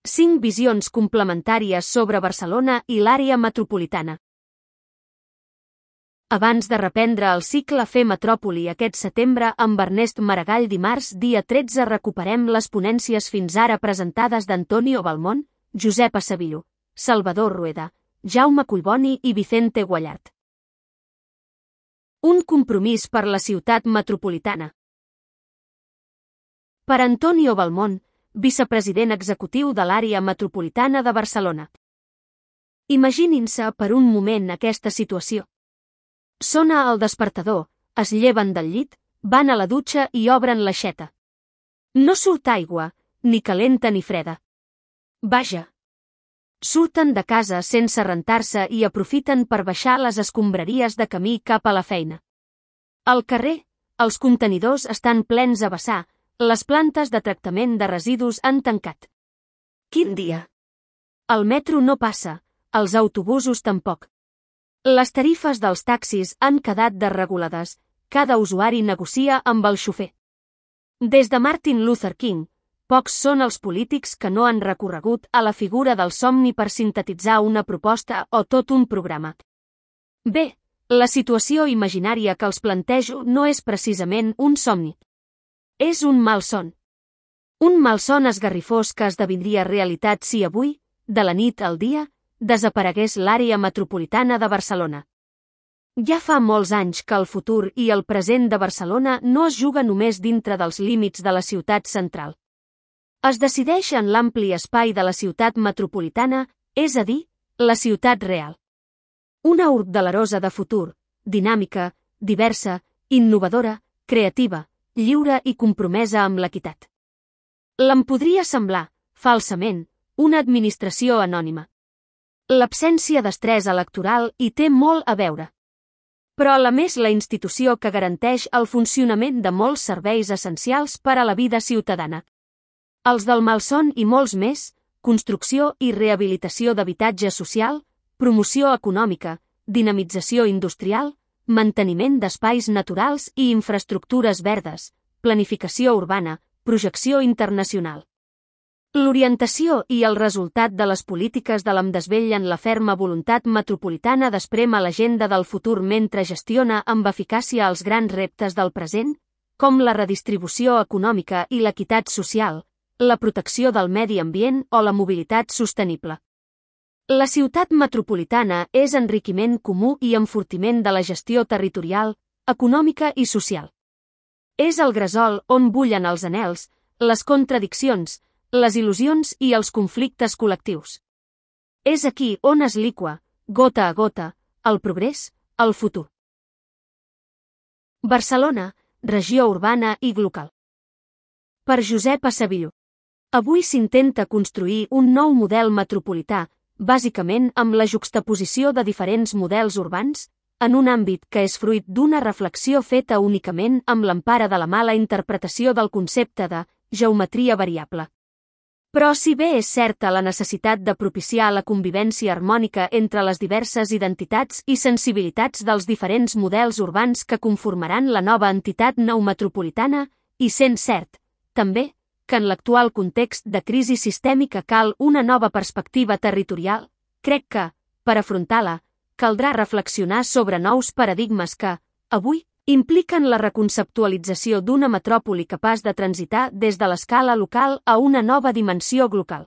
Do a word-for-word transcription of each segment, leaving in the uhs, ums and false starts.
Cinc visions complementàries sobre Barcelona i l'àrea metropolitana. Abans de reprendre el cicle Fer Metròpoli aquest setembre amb Ernest Maragall, dimarts dia tretze recuperem les ponències fins ara presentades d'Antonio Balmón, Josep Acevillo, Salvador Rueda, Jaume Collboni i Vicente Guallart. Un compromís per la ciutat metropolitana. Per Antonio Balmón, vicepresident executiu de l'àrea metropolitana de Barcelona. Imaginin-se per un moment aquesta situació. Sona el despertador, es lleven del llit, van a la dutxa i obren l'aixeta. No surt aigua, ni calenta ni freda. Vaja! Surten de casa sense rentar-se i aprofiten per baixar les escombraries de camí cap a la feina. Al carrer, els contenidors estan plens a vessar, les plantes de tractament de residus han tancat. Quin dia! El metro no passa, els autobusos tampoc. Les tarifes dels taxis han quedat desregulades, cada usuari negocia amb el xofer. Des de Martin Luther King, pocs són els polítics que no han recorregut a la figura del somni per sintetitzar una proposta o tot un programa. Bé, la situació imaginària que els plantejo no és precisament un somni. És un malson. Un malson esgarrifós que esdevindria realitat si avui, de la nit al dia, desaparegués l'àrea metropolitana de Barcelona. Ja fa molts anys que el futur i el present de Barcelona no es juga només dintre dels límits de la ciutat central. Es decideix en l'ampli espai de la ciutat metropolitana, és a dir, la ciutat real. Una urt delerosa de futur, dinàmica, diversa, innovadora, creativa, lliure i compromesa amb l'equitat. L'en podria semblar, falsament, una administració anònima. L'absència d'estrès electoral hi té molt a veure. Però a més la institució que garanteix el funcionament de molts serveis essencials per a la vida ciutadana. Els del malson i molts més, construcció i rehabilitació d'habitatge social, promoció econòmica, dinamització industrial, manteniment d'espais naturals i infraestructures verdes, planificació urbana, projecció internacional. L'orientació i el resultat de les polítiques de l'M desvellen la ferma voluntat metropolitana d'esprémer l'agenda del futur mentre gestiona amb eficàcia els grans reptes del present, com la redistribució econòmica i l'equitat social, la protecció del medi ambient o la mobilitat sostenible. La ciutat metropolitana és enriquiment comú i enfortiment de la gestió territorial, econòmica i social. És el gresol on bullen els anhels, les contradiccions, les il·lusions i els conflictes col·lectius. És aquí on es liqua, gota a gota, el progrés, el futur. Barcelona, regió urbana i glocal. Per Josep Acevillo. Avui s'intenta construir un nou model metropolità, bàsicament amb la juxtaposició de diferents models urbans, en un àmbit que és fruit d'una reflexió feta únicament amb l'empara de la mala interpretació del concepte de geometria variable. Però si bé és certa la necessitat de propiciar la convivència harmònica entre les diverses identitats i sensibilitats dels diferents models urbans que conformaran la nova entitat neometropolitana, i sent cert, també, que en l'actual context de crisi sistèmica cal una nova perspectiva territorial, crec que, per afrontar-la, caldrà reflexionar sobre nous paradigmes que, avui, impliquen la reconceptualització d'una metròpoli capaç de transitar des de l'escala local a una nova dimensió global.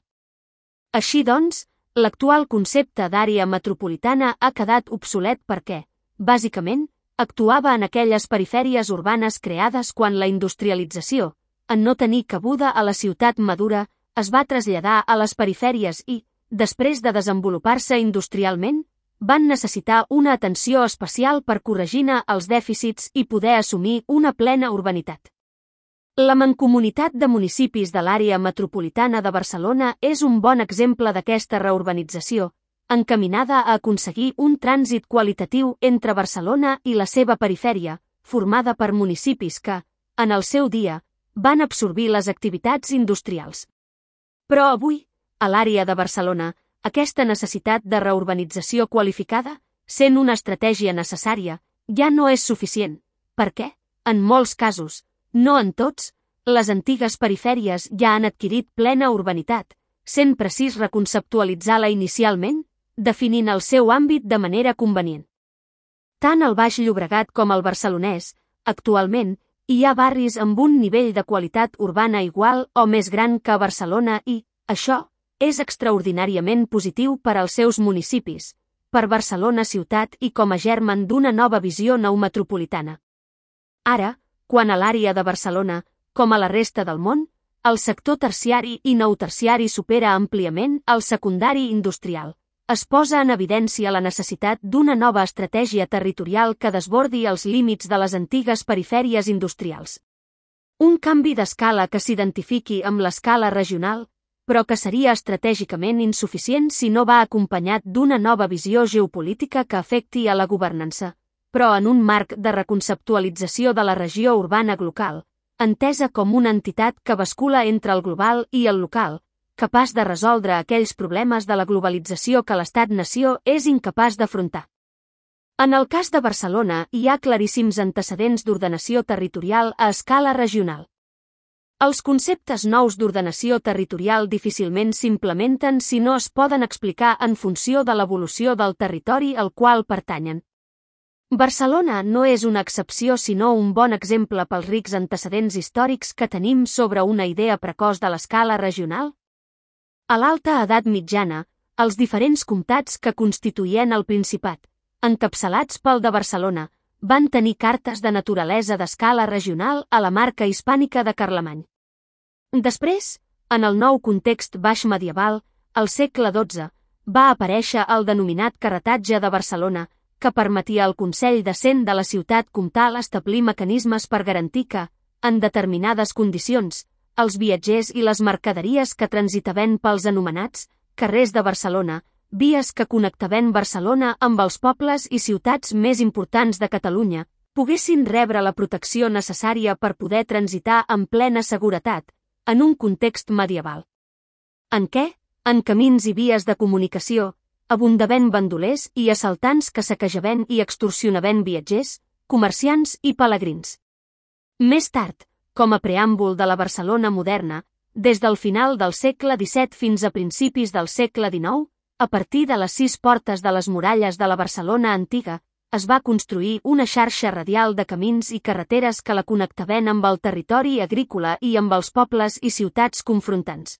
Així doncs, l'actual concepte d'àrea metropolitana ha quedat obsolet perquè, bàsicament, actuava en aquelles perifèries urbanes creades quan la industrialització, en no tenir cabuda a la ciutat madura, es va traslladar a les perifèries i, després de desenvolupar-se industrialment, van necessitar una atenció especial per corregir-ne els dèficits i poder assumir una plena urbanitat. La mancomunitat de municipis de l'àrea metropolitana de Barcelona és un bon exemple d'aquesta reurbanització, encaminada a aconseguir un trànsit qualitatiu entre Barcelona i la seva perifèria, formada per municipis que, en el seu dia, van absorbir les activitats industrials. Però avui, a l'àrea de Barcelona, aquesta necessitat de reurbanització qualificada, sent una estratègia necessària, ja no és suficient, perquè, en molts casos, no en tots, les antigues perifèries ja han adquirit plena urbanitat, sent precís reconceptualitzar-la inicialment, definint el seu àmbit de manera convenient. Tant al Baix Llobregat com al barcelonès, actualment, hi ha barris amb un nivell de qualitat urbana igual o més gran que a Barcelona i, això, és extraordinàriament positiu per als seus municipis, per Barcelona ciutat i com a germen d'una nova visió neometropolitana. Ara, quan a l'àrea de Barcelona, com a la resta del món, el sector terciari i neoterciari supera àmpliament el secundari industrial, es posa en evidència la necessitat d'una nova estratègia territorial que desbordi els límits de les antigues perifèries industrials. Un canvi d'escala que s'identifiqui amb l'escala regional, però que seria estratègicament insuficient si no va acompanyat d'una nova visió geopolítica que afecti a la governança, però en un marc de reconceptualització de la regió urbana local, entesa com una entitat que bascula entre el global i el local, capaç de resoldre aquells problemes de la globalització que l'Estat-nació és incapaç d'afrontar. En el cas de Barcelona hi ha claríssims antecedents d'ordenació territorial a escala regional. Els conceptes nous d'ordenació territorial difícilment s'implementen si no es poden explicar en funció de l'evolució del territori al qual pertanyen. Barcelona no és una excepció sinó un bon exemple pels rics antecedents històrics que tenim sobre una idea precoç de l'escala regional. A l'alta edat mitjana, els diferents comtats que constituïen el Principat, encapçalats pel de Barcelona, van tenir cartes de naturalesa d'escala regional a la marca hispànica de Carlemany. Després, en el nou context baix medieval, al segle dotze, va aparèixer el denominat carretatge de Barcelona, que permetia al Consell de Cent de la ciutat comtal establir mecanismes per garantir que, en determinades condicions, els viatgers i les mercaderies que transitaven pels anomenats carrers de Barcelona, vies que connectaven Barcelona amb els pobles i ciutats més importants de Catalunya, poguessin rebre la protecció necessària per poder transitar amb plena seguretat, en un context medieval. En què, en camins i vies de comunicació, abundaven bandolers i assaltants que saquejaven i extorsionaven viatgers, comerciants i pelegrins. Més tard, com a preàmbul de la Barcelona moderna, des del final del segle disset fins a principis del segle dinou, a partir de les sis portes de les muralles de la Barcelona antiga, es va construir una xarxa radial de camins i carreteres que la connectaven amb el territori agrícola i amb els pobles i ciutats confrontants.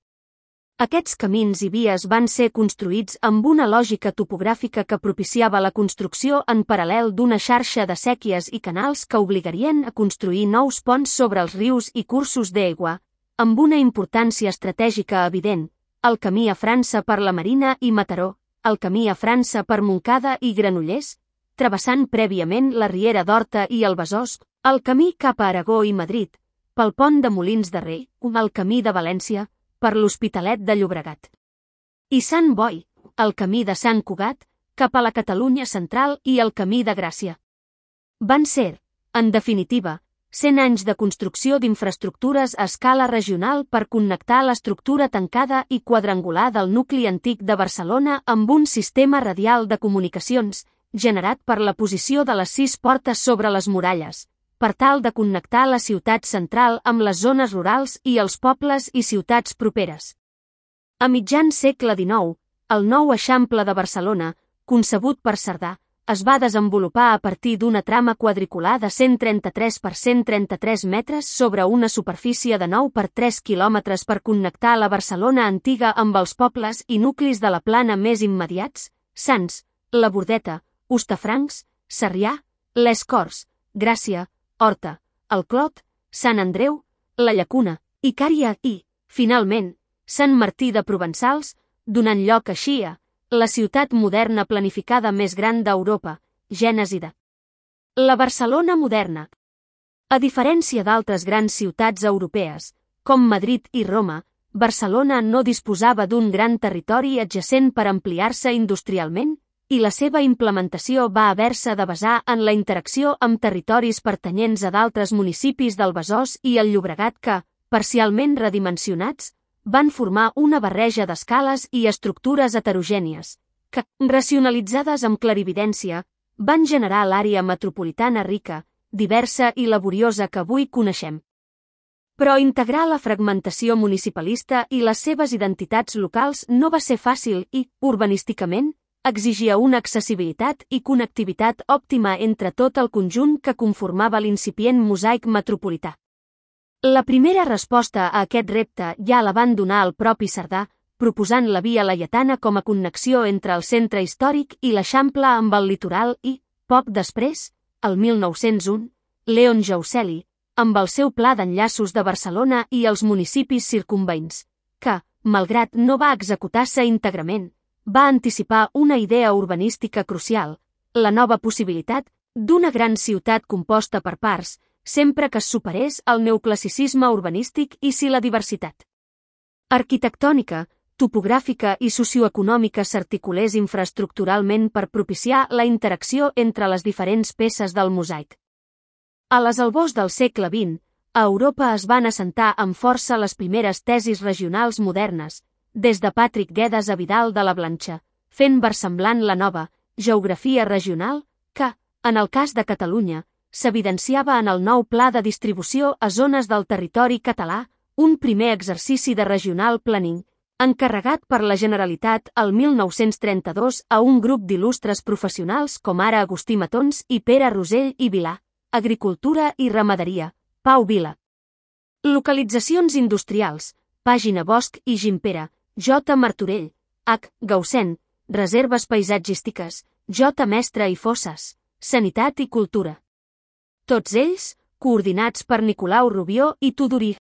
Aquests camins i vies van ser construïts amb una lògica topogràfica que propiciava la construcció en paral·lel d'una xarxa de séquies i canals que obligarien a construir nous ponts sobre els rius i cursos d'aigua, amb una importància estratègica evident, el camí a França per la Marina i Mataró, el camí a França per Montcada i Granollers, travessant prèviament la Riera d'Horta i el Besòs, el camí cap a Aragó i Madrid, pel pont de Molins de Rei, el camí de València, per l'Hospitalet de Llobregat. I Sant Boi, el camí de Sant Cugat, cap a la Catalunya central i el camí de Gràcia. Van ser, en definitiva, cent anys de construcció d'infraestructures a escala regional per connectar l'estructura tancada i quadrangular del nucli antic de Barcelona amb un sistema radial de comunicacions, generat per la posició de les sis portes sobre les muralles, per tal de connectar la ciutat central amb les zones rurals i els pobles i ciutats properes. A mitjan segle dinou, el nou Eixample de Barcelona, concebut per Cerdà, es va desenvolupar a partir d'una trama quadricular de cent trenta-tres per cent trenta-tres metres sobre una superfície de nou per tres quilòmetres per connectar la Barcelona antiga amb els pobles i nuclis de la plana més immediats, Sants, la Bordeta, Hostafrancs, Sarrià, les Corts, Gràcia, Horta, el Clot, Sant Andreu, la Llacuna, Icària i, finalment, Sant Martí de Provençals, donant lloc així a la ciutat moderna planificada més gran d'Europa, gènesi de la Barcelona moderna. A diferència d'altres grans ciutats europees, com Madrid i Roma, Barcelona no disposava d'un gran territori adjacent per ampliar-se industrialment, i la seva implementació va haver-se de basar en la interacció amb territoris pertanyents a d'altres municipis del Besòs i el Llobregat que, parcialment redimensionats, van formar una barreja d'escales i estructures heterogènies, que, racionalitzades amb clarividència, van generar l'àrea metropolitana rica, diversa i laboriosa que avui coneixem. Però integrar la fragmentació municipalista i les seves identitats locals no va ser fàcil i, urbanísticament, exigia una accessibilitat i connectivitat òptima entre tot el conjunt que conformava l'incipient mosaic metropolità. La primera resposta a aquest repte ja la van donar el propi Cerdà, proposant la Via Laietana com a connexió entre el centre històric i l'Eixample amb el litoral i, poc després, el mil nou-cents u, Leon Jauseli, amb el seu pla d'enllaços de Barcelona i els municipis circumveïns, que, malgrat no va executar-se íntegrament, va anticipar una idea urbanística crucial, la nova possibilitat d'una gran ciutat composta per parts, sempre que es superés el neoclassicisme urbanístic i si la diversitat arquitectònica, topogràfica i socioeconòmica s'articulés infraestructuralment per propiciar la interacció entre les diferents peces del mosaic. A les albors del segle vint, a Europa es van assentar amb força les primeres tesis regionals modernes, des de Patrick Guedes a Vidal de la Blancha, fent versemblant la nova geografia regional que, en el cas de Catalunya, s'evidenciava en el nou pla de distribució a zones del territori català, un primer exercici de regional planning, encarregat per la Generalitat el mil nou-cents trenta-dos a un grup d'il·lustres professionals com ara Agustí Matons i Pere Rosell i Vilà, Agricultura i Ramaderia, Pau Vila. Localitzacions industrials, Pàgina Bosch i Gimpera, J. Martorell, H. Gaussen, Reserves paisatgístiques, J. Mestre i Fosses, Sanitat i Cultura. Tots ells, coordinats per Nicolau Rubió i Tudurí.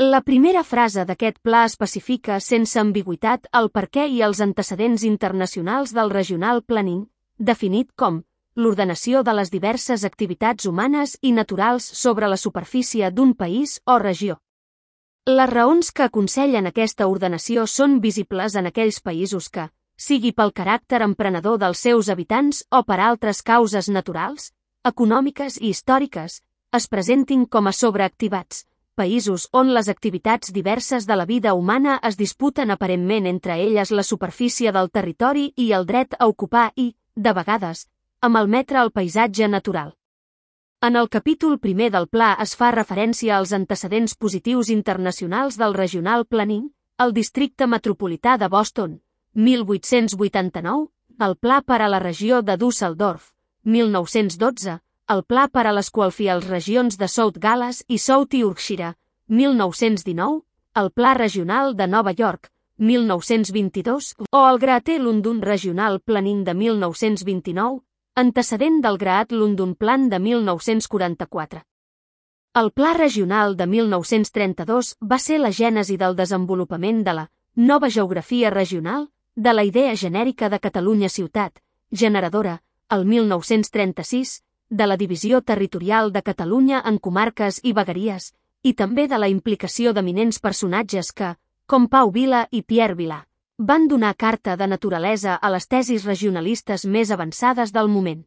La primera frase d'aquest pla especifica sense ambigüitat el perquè i els antecedents internacionals del regional planning, definit com l'ordenació de les diverses activitats humanes i naturals sobre la superfície d'un país o regió. Les raons que aconsellen aquesta ordenació són visibles en aquells països que, sigui pel caràcter emprenedor dels seus habitants o per altres causes naturals, econòmiques i històriques, es presentin com a sobreactivats, països on les activitats diverses de la vida humana es disputen aparentment entre elles la superfície del territori i el dret a ocupar i, de vegades, a malmetre el paisatge natural. En el capítol primer del pla es fa referència als antecedents positius internacionals del regional planning, el districte metropolità de Boston, mil vuit-cents vuitanta-nou, el pla per a la regió de Düsseldorf, mil nou-cents dotze, el pla per a les qualfials regions de South Gales i South Yorkshire, mil nou-cents dinou, el pla regional de Nova York, mil nou-cents vint-i-dos, o el Greater London Regional Planning de mil nou-cents vint-i-nou, antecedent del Great London Plan de mil nou-cents quaranta-quatre. El Pla Regional de mil nou-cents trenta-dos va ser la gènesi del desenvolupament de la nova geografia regional, de la idea genèrica de Catalunya ciutat, generadora, el mil nou-cents trenta-sis, de la divisió territorial de Catalunya en comarques i vegueries, i també de la implicació d'eminents personatges que, com Pau Vila i Pierre Vilà, van donar carta de naturalesa a les tesis regionalistes més avançades del moment.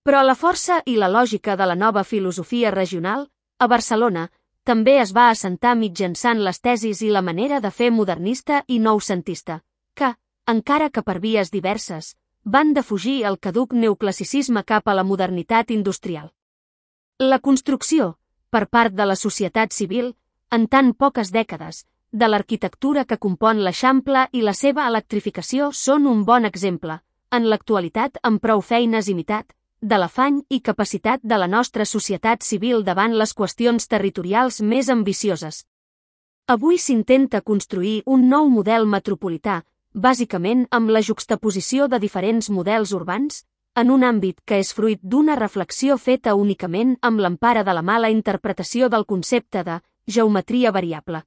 Però la força i la lògica de la nova filosofia regional, a Barcelona, també es va assentar mitjançant les tesis i la manera de fer modernista i noucentista, que, encara que per vies diverses, van defugir el caduc neoclassicisme cap a la modernitat industrial. La construcció, per part de la societat civil, en tan poques dècades, de l'arquitectura que compon l'Eixample i la seva electrificació són un bon exemple, en l'actualitat amb prou feines imitat, de l'afany i capacitat de la nostra societat civil davant les qüestions territorials més ambicioses. Avui s'intenta construir un nou model metropolità, bàsicament amb la juxtaposició de diferents models urbans, en un àmbit que és fruit d'una reflexió feta únicament amb l'empara de la mala interpretació del concepte de geometria variable.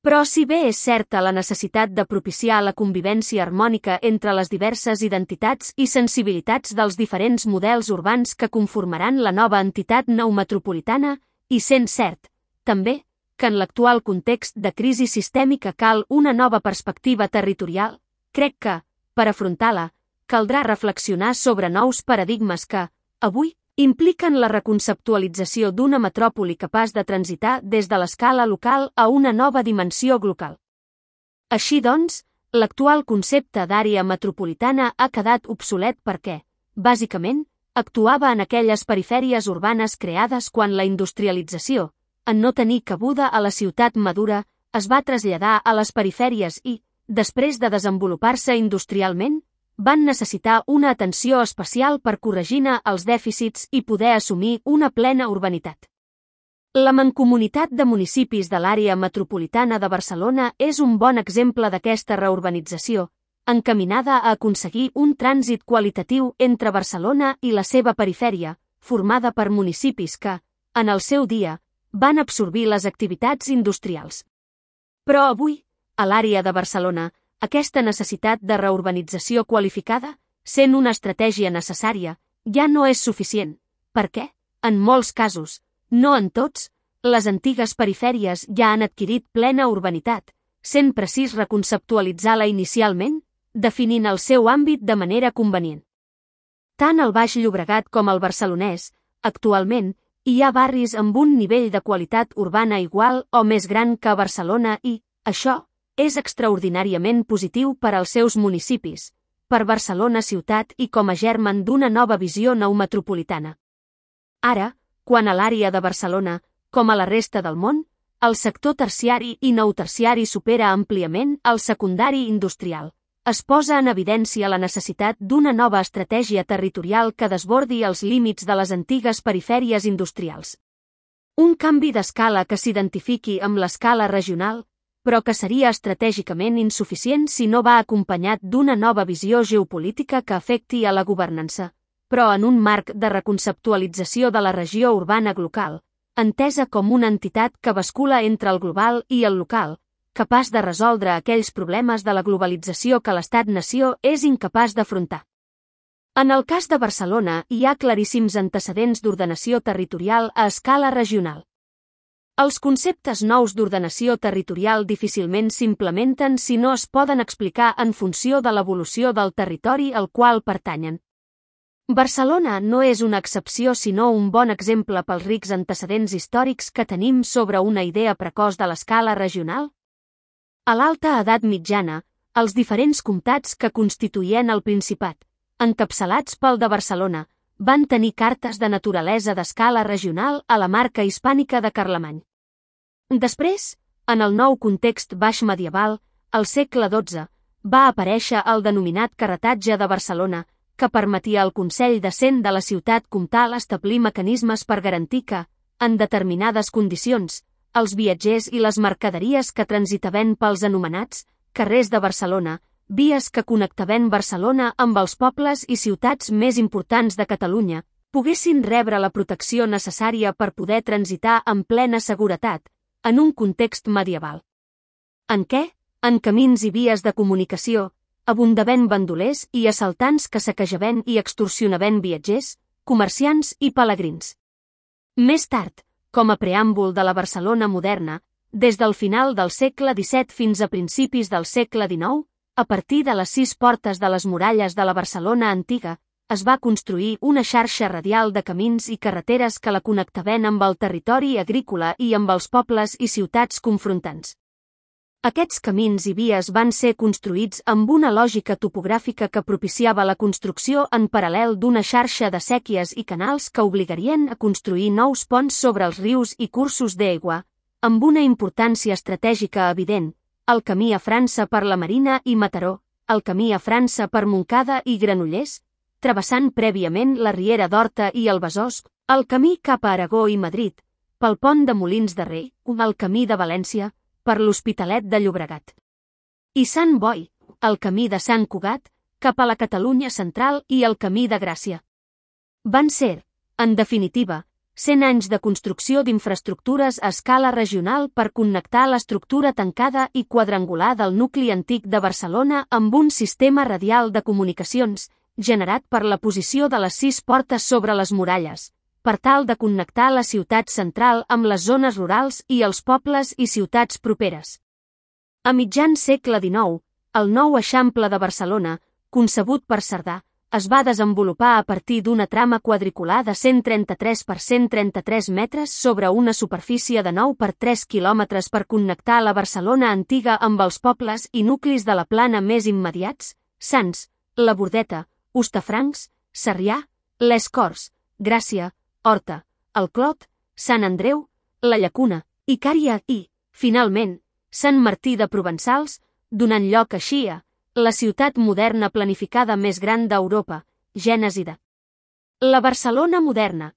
Però si bé és certa la necessitat de propiciar la convivència harmònica entre les diverses identitats i sensibilitats dels diferents models urbans que conformaran la nova entitat nou metropolitana, i sent cert, també, que en l'actual context de crisi sistèmica cal una nova perspectiva territorial, crec que, per afrontar-la, caldrà reflexionar sobre nous paradigmes que, avui, impliquen la reconceptualització d'una metròpoli capaç de transitar des de l'escala local a una nova dimensió global. Així doncs, l'actual concepte d'àrea metropolitana ha quedat obsolet perquè, bàsicament, actuava en aquelles perifèries urbanes creades quan la industrialització, en no tenir cabuda a la ciutat madura, es va traslladar a les perifèries i, després de desenvolupar-se industrialment, van necessitar una atenció especial per corregir-ne els dèficits i poder assumir una plena urbanitat. La Mancomunitat de Municipis de l'Àrea Metropolitana de Barcelona és un bon exemple d'aquesta reurbanització, encaminada a aconseguir un trànsit qualitatiu entre Barcelona i la seva perifèria, formada per municipis que, en el seu dia, van absorbir les activitats industrials. Però avui, a l'àrea de Barcelona, aquesta necessitat de reurbanització qualificada, sent una estratègia necessària, ja no és suficient, perquè, en molts casos, no en tots, les antigues perifèries ja han adquirit plena urbanitat, sent precís reconceptualitzar-la inicialment, definint el seu àmbit de manera convenient. Tant al Baix Llobregat com al barcelonès, actualment, hi ha barris amb un nivell de qualitat urbana igual o més gran que a Barcelona i, això, és extraordinàriament positiu per als seus municipis, per Barcelona ciutat i com a germen d'una nova visió neometropolitana. Ara, quan a l'àrea de Barcelona, com a la resta del món, el sector terciari i neoterciari supera àmpliament el secundari industrial, es posa en evidència la necessitat d'una nova estratègia territorial que desbordi els límits de les antigues perifèries industrials. Un canvi d'escala que s'identifiqui amb l'escala regional, però que seria estratègicament insuficient si no va acompanyat d'una nova visió geopolítica que afecti a la governança, però en un marc de reconceptualització de la regió urbana local, entesa com una entitat que bascula entre el global i el local, capaç de resoldre aquells problemes de la globalització que l'Estat-nació és incapaç d'afrontar. En el cas de Barcelona hi ha claríssims antecedents d'ordenació territorial a escala regional. Els conceptes nous d'ordenació territorial difícilment s'implementen si no es poden explicar en funció de l'evolució del territori al qual pertanyen. Barcelona no és una excepció sinó un bon exemple pels rics antecedents històrics que tenim sobre una idea precoç de l'escala regional. A l'alta edat mitjana, els diferents comtats que constituïen el Principat, encapçalats pel de Barcelona, van tenir cartes de naturalesa d'escala regional a la marca hispànica de Carlemany. Després, en el nou context baix medieval, al segle dotze, va aparèixer el denominat carretatge de Barcelona, que permetia al Consell de Cent de la ciutat comtal establir mecanismes per garantir que, en determinades condicions, els viatgers i les mercaderies que transitaven pels anomenats carrers de Barcelona, vies que connectaven Barcelona amb els pobles i ciutats més importants de Catalunya, poguessin rebre la protecció necessària per poder transitar amb plena seguretat, en un context medieval. En què? En camins i vies de comunicació, abundaven bandolers i assaltants que saquejaven i extorsionaven viatgers, comerciants i pelegrins. Més tard, com a preàmbul de la Barcelona moderna, des del final del segle disset fins a principis del segle dinou, a partir de les sis portes de les muralles de la Barcelona antiga, es va construir una xarxa radial de camins i carreteres que la connectaven amb el territori agrícola i amb els pobles i ciutats confrontants. Aquests camins i vies van ser construïts amb una lògica topogràfica que propiciava la construcció en paral·lel d'una xarxa de séquies i canals que obligarien a construir nous ponts sobre els rius i cursos d'aigua, amb una importància estratègica evident, el camí a França per la Marina i Mataró, el camí a França per Montcada i Granollers, travessant prèviament la Riera d'Horta i el Besòs, el camí cap a Aragó i Madrid, pel pont de Molins de Rei, el camí de València, per l'Hospitalet de Llobregat. I Sant Boi, el camí de Sant Cugat, cap a la Catalunya central i el camí de Gràcia. Van ser, en definitiva, cent anys de construcció d'infraestructures a escala regional per connectar l'estructura tancada i quadrangular del nucli antic de Barcelona amb un sistema radial de comunicacions, generat per la posició de les sis portes sobre les muralles, per tal de connectar la ciutat central amb les zones rurals i els pobles i ciutats properes. A mitjan segle dinou, el nou Eixample de Barcelona, concebut per Cerdà, es va desenvolupar a partir d'una trama quadricular de cent trenta-tres per cent trenta-tres metres sobre una superfície de nou per tres quilòmetres per connectar la Barcelona antiga amb els pobles i nuclis de la plana més immediats, Sants, la Bordeta, Hostafrancs, Sarrià, les Corts, Gràcia, Horta, el Clot, Sant Andreu, la Llacuna, Icària i, finalment, Sant Martí de Provençals, donant lloc així a la ciutat moderna planificada més gran d'Europa, gènesi de la Barcelona moderna.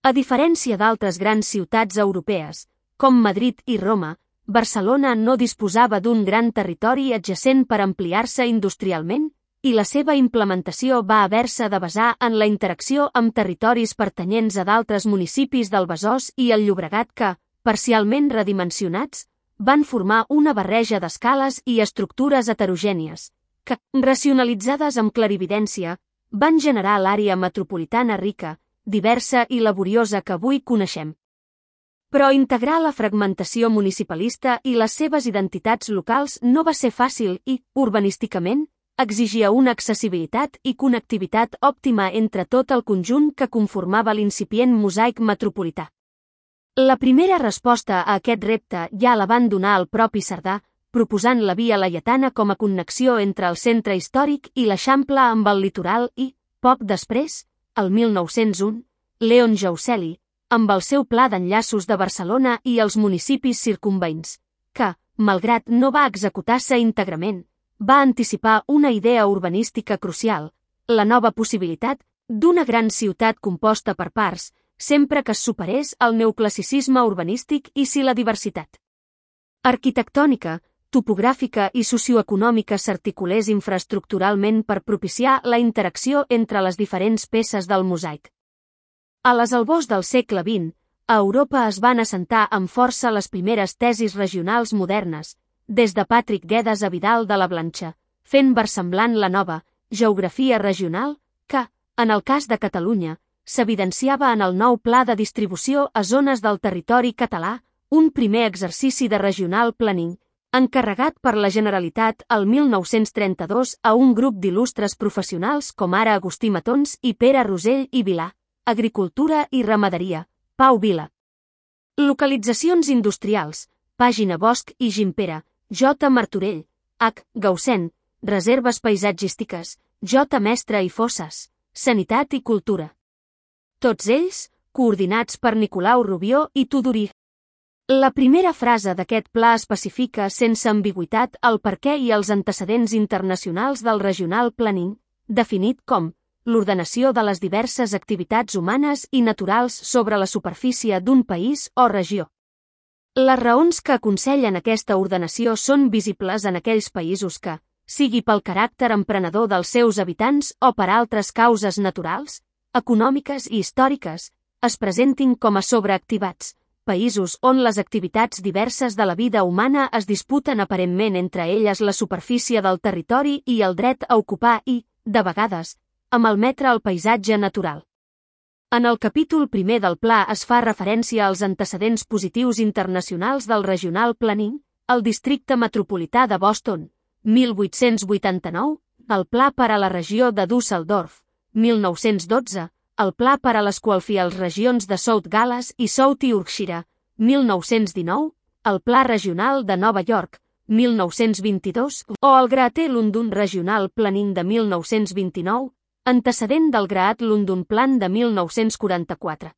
A diferència d'altres grans ciutats europees, com Madrid i Roma, Barcelona no disposava d'un gran territori adjacent per ampliar-se industrialment, i la seva implementació va haver-se de basar en la interacció amb territoris pertanyents a d'altres municipis del Besòs i el Llobregat que, parcialment redimensionats, van formar una barreja d'escales i estructures heterogènies, que, racionalitzades amb clarividència, van generar l'àrea metropolitana rica, diversa i laboriosa que avui coneixem. Però integrar la fragmentació municipalista i les seves identitats locals no va ser fàcil i, urbanísticament, exigia una accessibilitat i connectivitat òptima entre tot el conjunt que conformava l'incipient mosaic metropolità. La primera resposta a aquest repte ja la van donar el propi Cerdà, proposant la Via Laietana com a connexió entre el centre històric i l'Eixample amb el litoral i, poc després, el mil nou-cents u, Leon Jauseli, amb el seu pla d'enllaços de Barcelona i els municipis circumveïns, que, malgrat no va executar-se íntegrament, va anticipar una idea urbanística crucial, la nova possibilitat d'una gran ciutat composta per parts, sempre que es superés el neoclassicisme urbanístic i si la diversitat arquitectònica, topogràfica i socioeconòmica s'articulés infraestructuralment per propiciar la interacció entre les diferents peces del mosaic. A les albors del segle vint, a Europa es van assentar amb força les primeres tesis regionals modernes, des de Patrick Guedes a Vidal de la Blancha, fent versemblant la nova geografia regional que, en el cas de Catalunya, s'evidenciava en el nou pla de distribució a zones del territori català, un primer exercici de regional planning, encarregat per la Generalitat el mil nou-cents trenta-dos a un grup d'il·lustres professionals com ara Agustí Matons i Pere Rosell i Vilà, Agricultura i Ramaderia, Pau Vila. Localitzacions industrials, Pàgina Bosch i Gimpera, J. Martorell, H. Gaussen, Reserves paisatgístiques, J. Mestre i Fosses, Sanitat i Cultura. Tots ells, coordinats per Nicolau Rubió i Tudurí. La primera frase d'aquest pla especifica sense ambigüitat el perquè i els antecedents internacionals del regional planning, definit com l'ordenació de les diverses activitats humanes i naturals sobre la superfície d'un país o regió. Les raons que aconsellen aquesta ordenació són visibles en aquells països que, sigui pel caràcter emprenedor dels seus habitants o per altres causes naturals, econòmiques i històriques, es presentin com a sobreactivats, països on les activitats diverses de la vida humana es disputen aparentment entre elles la superfície del territori i el dret a ocupar i, de vegades, a malmetre el paisatge natural. En el capítol primer del pla es fa referència als antecedents positius internacionals del regional planning, el districte metropolità de Boston, mil vuit-cents vuitanta-nou, el pla per a la regió de Düsseldorf, mil nou-cents dotze, el pla per a les qualfials regions de South Gales i South Yorkshire, mil nou-cents dinou, el pla regional de Nova York, mil nou-cents vint-i-dos, o el Greater London Regional Planning de mil nou-cents vint-i-nou, antecedent del Great London Plan de mil nou-cents quaranta-quatre.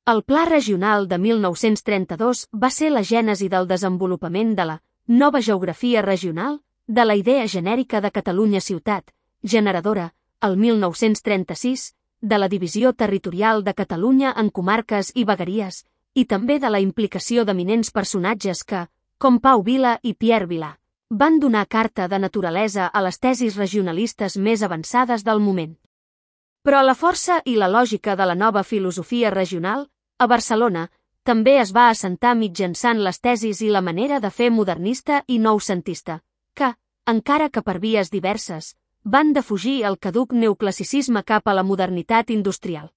El Pla Regional de mil nou-cents trenta-dos va ser la gènesi del desenvolupament de la nova geografia regional, de la idea genèrica de Catalunya ciutat, generadora, el mil nou-cents trenta-sis, de la divisió territorial de Catalunya en comarques i vegueries, i també de la implicació d'eminents personatges que, com Pau Vila i Pierre Vilà, van donar carta de naturalesa a les tesis regionalistes més avançades del moment. Però la força i la lògica de la nova filosofia regional, a Barcelona, també es va assentar mitjançant les tesis i la manera de fer modernista i noucentista, que, encara que per vies diverses, van defugir el caduc neoclassicisme cap a la modernitat industrial.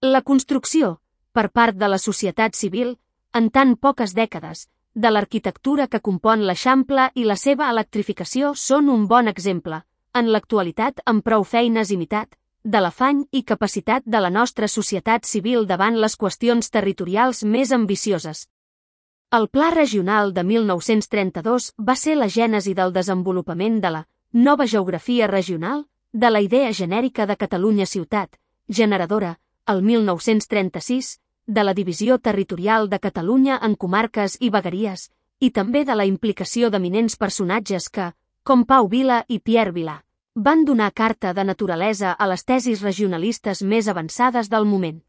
La construcció, per part de la societat civil, en tan poques dècades, de l'arquitectura que compon l'Eixample i la seva electrificació són un bon exemple, en l'actualitat amb prou feines imitat, de l'afany i capacitat de la nostra societat civil davant les qüestions territorials més ambicioses. El Pla Regional de mil nou-cents trenta-dos va ser la gènesi del desenvolupament de la nova geografia regional, de la idea genèrica de Catalunya ciutat, generadora, el mil nou-cents trenta-sis, de la divisió territorial de Catalunya en comarques i vegueries, i també de la implicació d'eminents personatges que, com Pau Vila i Pierre Vilar, van donar carta de naturalesa a les tesis regionalistes més avançades del moment.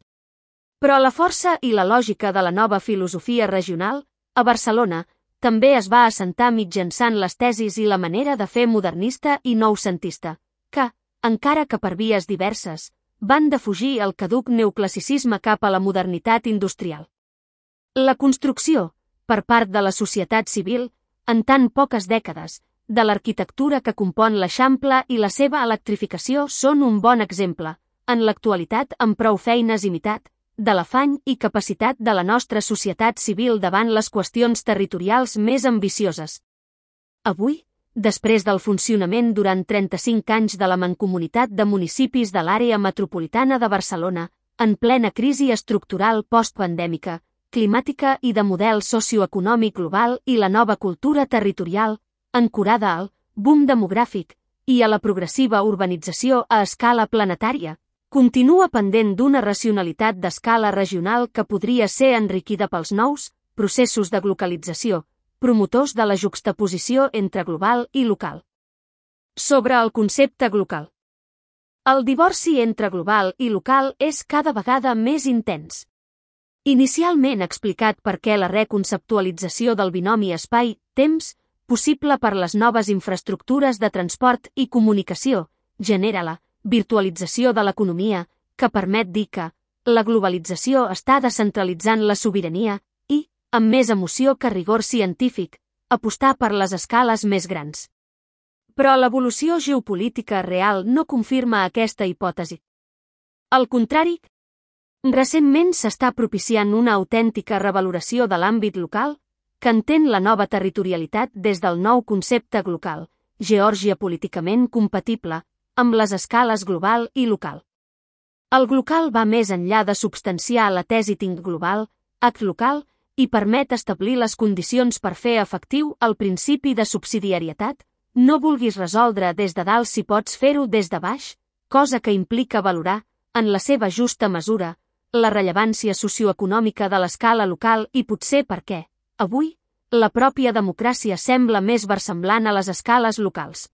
Però la força i la lògica de la nova filosofia regional, a Barcelona, també es va assentar mitjançant les tesis i la manera de fer modernista i noucentista, que, encara que per vies diverses, van defugir el caduc neoclassicisme cap a la modernitat industrial. La construcció, per part de la societat civil, en tan poques dècades, de l'arquitectura que compon l'Eixample i la seva electrificació són un bon exemple, en l'actualitat amb prou feines imitat, de l'afany i capacitat de la nostra societat civil davant les qüestions territorials més ambicioses. Avui, després del funcionament durant trenta-cinc anys de la Mancomunitat de Municipis de l'Àrea Metropolitana de Barcelona, en plena crisi estructural postpandèmica, climàtica i de model socioeconòmic global i la nova cultura territorial, ancorada al boom demogràfic i a la progressiva urbanització a escala planetària, continua pendent d'una racionalitat d'escala regional que podria ser enriquida pels nous processos de glocalització, promotors de la juxtaposició entre global i local. Sobre el concepte global. El divorci entre global i local és cada vegada més intens. Inicialment explicat per què la reconceptualització del binomi espai-temps, possible per les noves infraestructures de transport i comunicació, genera la virtualització de l'economia, que permet dir que la globalització està descentralitzant la sobirania i, amb més emoció que rigor científic, apostar per les escales més grans. Però l'evolució geopolítica real no confirma aquesta hipòtesi. Al contrari, recentment s'està propiciant una autèntica revaloració de l'àmbit local, que entén la nova territorialitat des del nou concepte global, Geòrgia políticament compatible, amb les escales global i local. El global va més enllà de substanciar la tesi tinc global, hac local, i permet establir les condicions per fer efectiu el principi de subsidiarietat, no vulguis resoldre des de dalt si pots fer-ho des de baix, cosa que implica valorar, en la seva justa mesura, la rellevància socioeconòmica de l'escala local i potser per què, avui, la pròpia democràcia sembla més versemblant a les escales locals.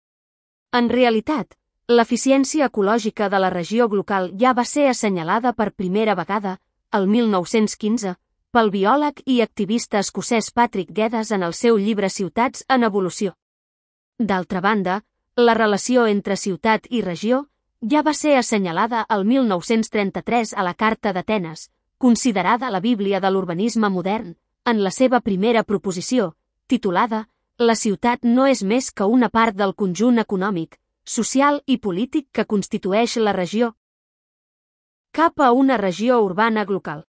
En realitat, l'eficiència ecològica de la regió local ja va ser assenyalada per primera vegada, el mil nou-cents quinze, pel biòleg i activista escocès Patrick Geddes en el seu llibre Ciutats en evolució. D'altra banda, la relació entre ciutat i regió ja va ser assenyalada el mil nou-cents trenta-tres a la Carta d'Atenes, considerada la Bíblia de l'urbanisme modern, en la seva primera proposició, titulada «La ciutat no és més que una part del conjunt econòmic, social i polític que constitueix la regió». Cap a una regió urbana global.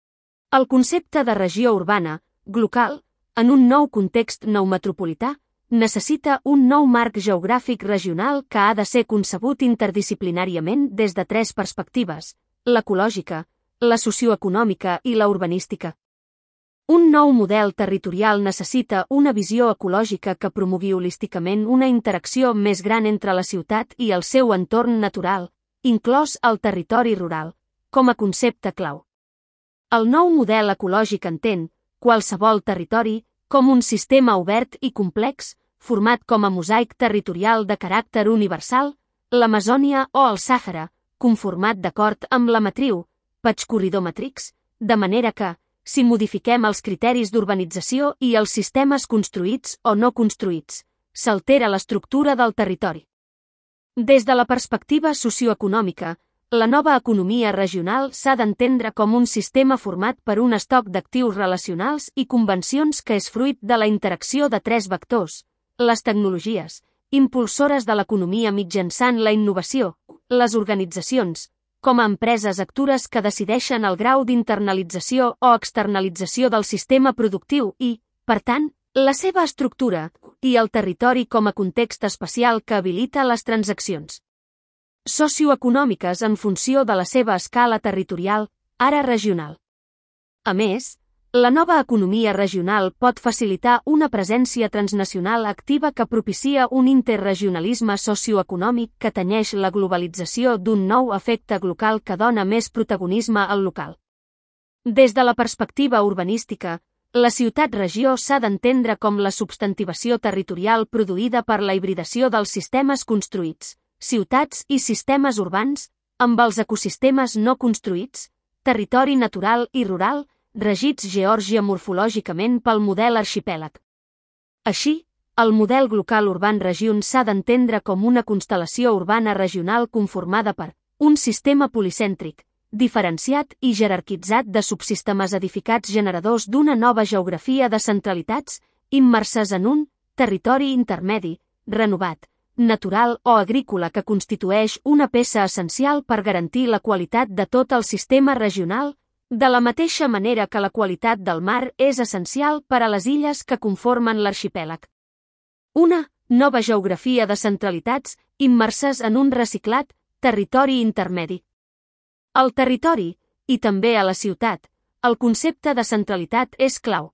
El concepte de regió urbana, global, en un nou context nou metropolità, necessita un nou marc geogràfic regional que ha de ser concebut interdisciplinàriament des de tres perspectives, l'ecològica, la socioeconòmica i la urbanística. Un nou model territorial necessita una visió ecològica que promogui holísticament una interacció més gran entre la ciutat i el seu entorn natural, inclòs el territori rural, com a concepte clau. El nou model ecològic entén qualsevol territori com un sistema obert i complex, format com a mosaic territorial de caràcter universal, l'Amazònia o el Sàhara, conformat d'acord amb la matriu, Patch Corridor Matrix, de manera que, si modifiquem els criteris d'urbanització i els sistemes construïts o no construïts, s'altera l'estructura del territori. Des de la perspectiva socioeconòmica, la nova economia regional s'ha d'entendre com un sistema format per un estoc d'actius relacionals i convencions que és fruit de la interacció de tres vectors, les tecnologies, impulsores de l'economia mitjançant la innovació, les organitzacions, com a empreses actores que decideixen el grau d'internalització o externalització del sistema productiu i, per tant, la seva estructura, i el territori com a context especial que habilita les transaccions socioeconòmiques en funció de la seva escala territorial, ara regional. A més, la nova economia regional pot facilitar una presència transnacional activa que propicia un interregionalisme socioeconòmic que tenyeix la globalització d'un nou efecte global que dona més protagonisme al local. Des de la perspectiva urbanística, la ciutat-regió s'ha d'entendre com la substantivació territorial produïda per la hibridació dels sistemes construïts, ciutats i sistemes urbans, amb els ecosistemes no construïts, territori natural i rural, regits georgia-morfològicament pel model arxipèlag. Així, el model Local Urban Region s'ha d'entendre com una constel·lació urbana regional conformada per un sistema policèntric, diferenciat i jerarquitzat de subsistemes edificats generadors d'una nova geografia de centralitats, immerses en un territori intermedi, renovat, natural o agrícola que constitueix una peça essencial per garantir la qualitat de tot el sistema regional, de la mateixa manera que la qualitat del mar és essencial per a les illes que conformen l'arxipèlag. Una nova geografia de centralitats immerses en un reciclat territori intermedi. Al territori, i també a la ciutat, el concepte de centralitat és clau.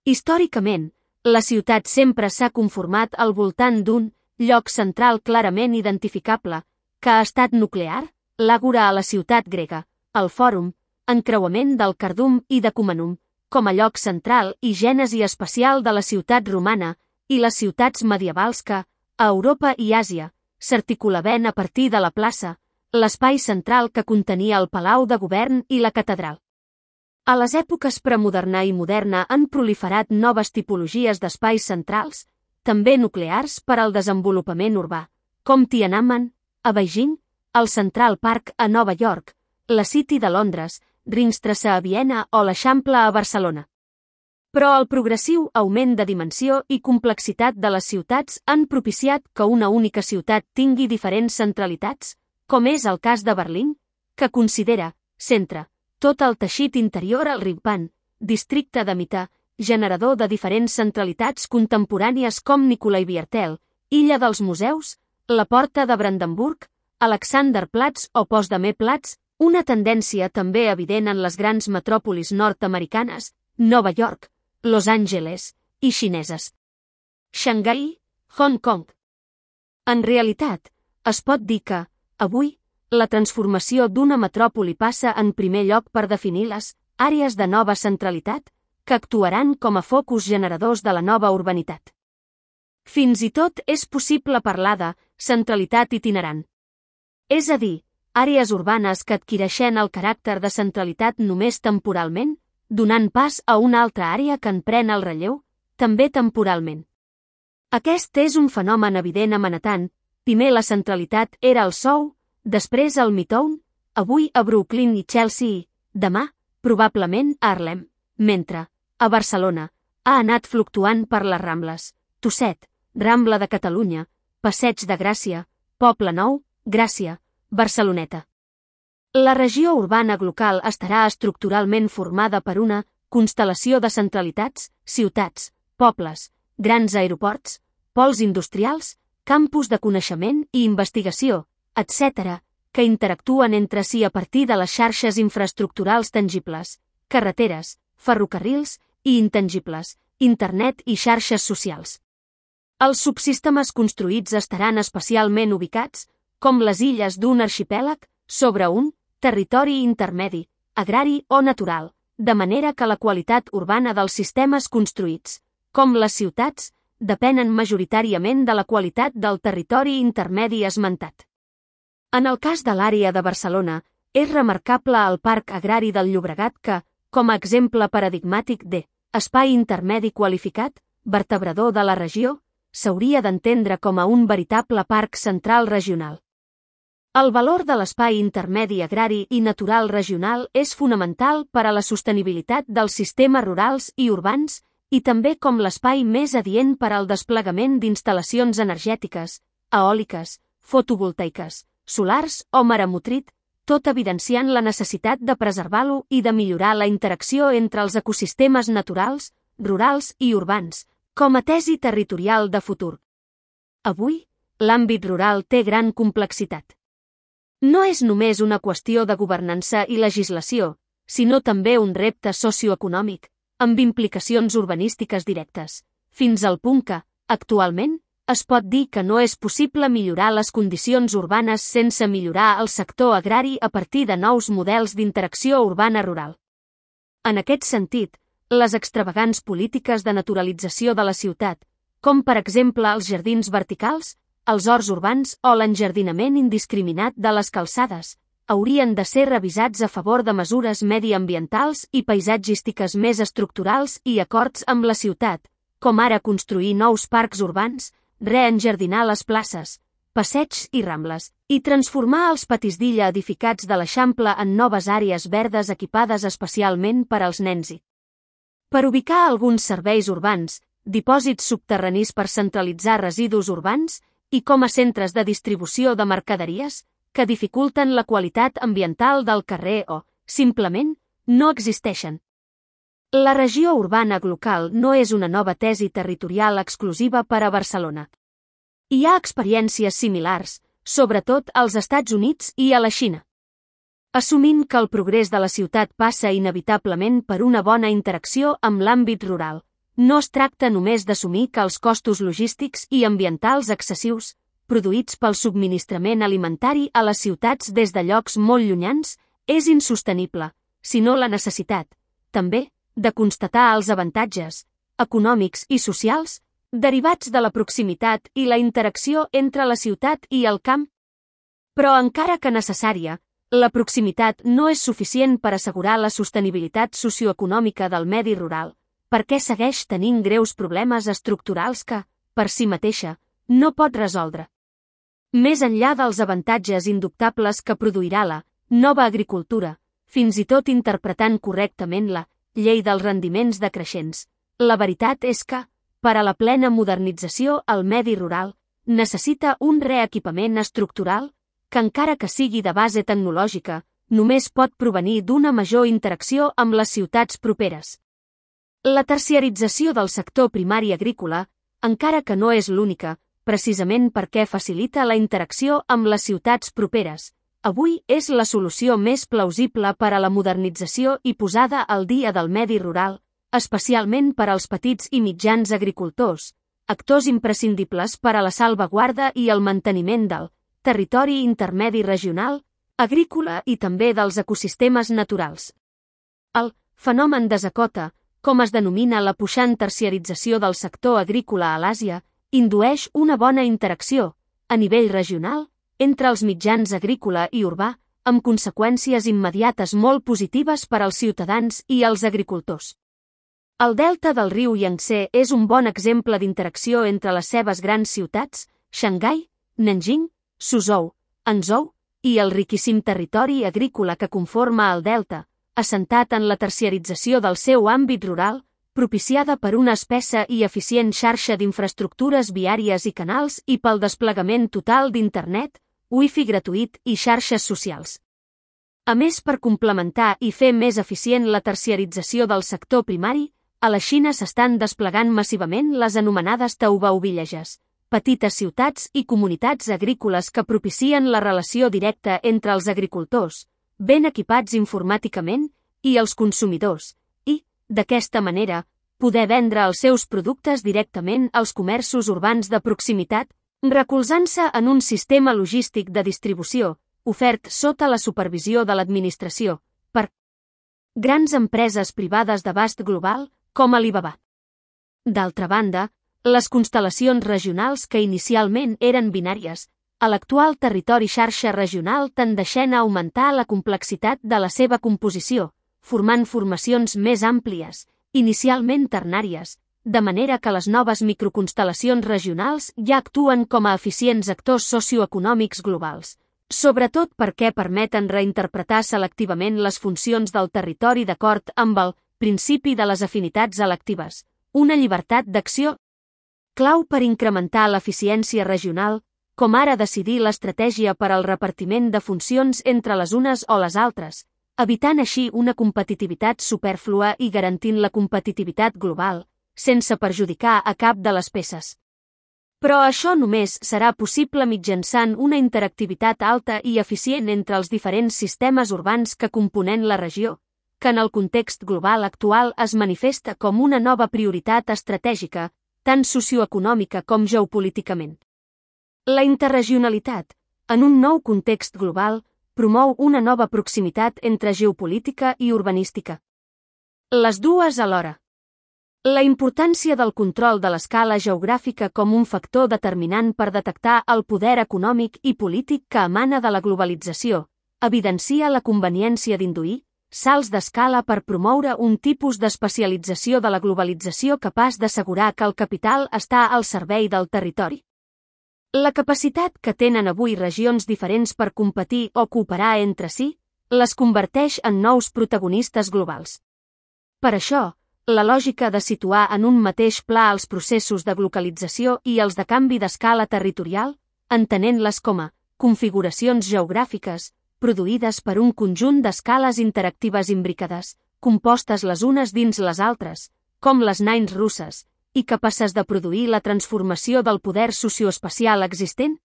Històricament, la ciutat sempre s'ha conformat al voltant d'un lloc central clarament identificable, que ha estat nuclear, l'àgora a la ciutat grega, el fòrum, encreuament del Cardum i de Cumanum, com a lloc central i gènesi espacial de la ciutat romana i les ciutats medievals que, a Europa i Àsia, s'articulaven a partir de la plaça, l'espai central que contenia el palau de govern i la catedral. A les èpoques premoderna i moderna han proliferat noves tipologies d'espais centrals, també nuclears per al desenvolupament urbà, com Tiananmen, a Beijing, el Central Park a Nova York, la City de Londres, Ringstrasse a Viena o l'Eixample a Barcelona. Però el progressiu augment de dimensió i complexitat de les ciutats han propiciat que una única ciutat tingui diferents centralitats, com és el cas de Berlín, que considera, centre, tot el teixit interior al Rijksbahn, districte de Mitte, generador de diferents centralitats contemporànies com Nikolai-Viertel, Illa dels Museus, la Porta de Brandenburg, Alexanderplatz o Potsdamerplatz, una tendència també evident en les grans metròpolis nord-americanes, Nova York, Los Angeles i xineses. Xangai, Hong Kong. En realitat, es pot dir que, avui, la transformació d'una metròpoli passa en primer lloc per definir les àrees de nova centralitat, que actuaran com a focus generadors de la nova urbanitat. Fins i tot és possible parlar de centralitat itinerant. És a dir, àrees urbanes que adquireixen el caràcter de centralitat només temporalment, donant pas a una altra àrea que en pren el relleu, també temporalment. Aquest és un fenomen evident a Manhattan. Primer la centralitat era el Soho, després el Midtown, avui a Brooklyn i Chelsea i, demà, probablement a Harlem, mentre, a Barcelona, ha anat fluctuant per les Rambles, Tusset, Rambla de Catalunya, Passeig de Gràcia, Poble Nou, Gràcia, Barceloneta. La regió urbana local estarà estructuralment formada per una constel·lació de centralitats, ciutats, pobles, grans aeroports, pols industrials, campus de coneixement i investigació, etcètera, que interactuen entre si a partir de les xarxes infraestructurals tangibles, carreteres, ferrocarrils i intangibles, internet i xarxes socials. Els subsistemes construïts estaran especialment ubicats, com les illes d'un arxipèlag, sobre un territori intermedi, agrari o natural, de manera que la qualitat urbana dels sistemes construïts, com les ciutats, depenen majoritàriament de la qualitat del territori intermedi esmentat. En el cas de l'àrea de Barcelona, és remarcable el Parc Agrari del Llobregat que, com a exemple paradigmàtic de espai intermedi qualificat, vertebrador de la regió, s'hauria d'entendre com a un veritable parc central regional. El valor de l'espai intermedi agrari i natural regional és fonamental per a la sostenibilitat dels sistemes rurals i urbans i també com l'espai més adient per al desplegament d'instal·lacions energètiques, eòliques, fotovoltaiques, solars o maremotric, tot evidenciant la necessitat de preservar-lo i de millorar la interacció entre els ecosistemes naturals, rurals i urbans, com a tesi territorial de futur. Avui, l'àmbit rural té gran complexitat. No és només una qüestió de governança i legislació, sinó també un repte socioeconòmic, amb implicacions urbanístiques directes, fins al punt que, actualment, es pot dir que no és possible millorar les condicions urbanes sense millorar el sector agrari a partir de nous models d'interacció urbana-rural. En aquest sentit, les extravagants polítiques de naturalització de la ciutat, com per exemple els jardins verticals, els horts urbans o l'enjardinament indiscriminat de les calçades, haurien de ser revisats a favor de mesures mediambientals i paisatgístiques més estructurals i acords amb la ciutat, com ara construir nous parcs urbans, reenjardinar les places, passeigs i rambles, i transformar els patins d'illa edificats de l'Eixample en noves àrees verdes equipades especialment per als nens i per ubicar alguns serveis urbans, dipòsits subterranis per centralitzar residus urbans i com a centres de distribució de mercaderies que dificulten la qualitat ambiental del carrer o, simplement, no existeixen. La regió urbana local no és una nova tesi territorial exclusiva per a Barcelona. Hi ha experiències similars, sobretot als Estats Units i a la Xina. Assumint que el progrés de la ciutat passa inevitablement per una bona interacció amb l'àmbit rural, no es tracta només d'assumir que els costos logístics i ambientals excessius, produïts pel subministrament alimentari a les ciutats des de llocs molt llunyans, és insostenible, sinó la necessitat, també, de constatar els avantatges, econòmics i socials, derivats de la proximitat i la interacció entre la ciutat i el camp. Però encara que necessària, la proximitat no és suficient per assegurar la sostenibilitat socioeconòmica del medi rural, perquè segueix tenint greus problemes estructurals que, per si mateixa, no pot resoldre. Més enllà dels avantatges indubtables que produirà la nova agricultura, fins i tot interpretant correctament la llei dels rendiments decreixents, la veritat és que, per a la plena modernització el medi rural, necessita un reequipament estructural que encara que sigui de base tecnològica, només pot provenir d'una major interacció amb les ciutats properes. La terciarització del sector primari agrícola, encara que no és l'única, precisament perquè facilita la interacció amb les ciutats properes, avui és la solució més plausible per a la modernització i posada al dia del medi rural, especialment per als petits i mitjans agricultors, actors imprescindibles per a la salvaguarda i el manteniment del territori intermedi regional, agrícola i també dels ecosistemes naturals. El fenomen desacota, com es denomina la puixant terciarització del sector agrícola a l'Àsia, indueix una bona interacció, a nivell regional, entre els mitjans agrícola i urbà, amb conseqüències immediates molt positives per als ciutadans i els agricultors. El delta del riu Iang-Tsé és un bon exemple d'interacció entre les seves grans ciutats, Xangai, Nanjing, Suzhou, Hangzhou, i el riquíssim territori agrícola que conforma el delta, assentat en la terciarització del seu àmbit rural, propiciada per una espessa i eficient xarxa d'infraestructures viàries i canals i pel desplegament total d'internet, wifi gratuït i xarxes socials. A més, per complementar i fer més eficient la terciarització del sector primari, a la Xina s'estan desplegant massivament les anomenades Taobao Villages, petites ciutats i comunitats agrícoles que propicien la relació directa entre els agricultors, ben equipats informàticament, i els consumidors, i, d'aquesta manera, poder vendre els seus productes directament als comerços urbans de proximitat, recolzant-se en un sistema logístic de distribució, ofert sota la supervisió de l'administració, per grans empreses privades d'abast global, com Alibaba. D'altra banda, les constel·lacions regionals que inicialment eren binàries, a l'actual territori xarxa regional tendeixen a augmentar la complexitat de la seva composició, formant formacions més àmplies, inicialment ternàries, de manera que les noves microconstel·lacions regionals ja actuen com a eficients actors socioeconòmics globals, sobretot perquè permeten reinterpretar selectivament les funcions del territori d'acord amb el principi de les afinitats electives, una llibertat d'acció clau per incrementar l'eficiència regional, com ara decidir l'estratègia per al repartiment de funcions entre les unes o les altres, evitant així una competitivitat supèrflua i garantint la competitivitat global, sense perjudicar a cap de les peces. Però això només serà possible mitjançant una interactivitat alta i eficient entre els diferents sistemes urbans que componen la regió, que en el context global actual es manifesta com una nova prioritat estratègica, tant socioeconòmica com geopolíticament. La interregionalitat, en un nou context global, promou una nova proximitat entre geopolítica i urbanística. Les dues alhora. La importància del control de l'escala geogràfica com un factor determinant per detectar el poder econòmic i polític que emana de la globalització evidencia la conveniència d'induir salts d'escala per promoure un tipus d'especialització de la globalització capaç d'assegurar que el capital està al servei del territori. La capacitat que tenen avui regions diferents per competir o cooperar entre si les converteix en nous protagonistes globals. Per això, la lògica de situar en un mateix pla els processos de globalització i els de canvi d'escala territorial, entenent-les com a configuracions geogràfiques, produïdes per un conjunt d'escales interactives imbricades, compostes les unes dins les altres, com les nains russes, i capaces de produir la transformació del poder socioespacial existent?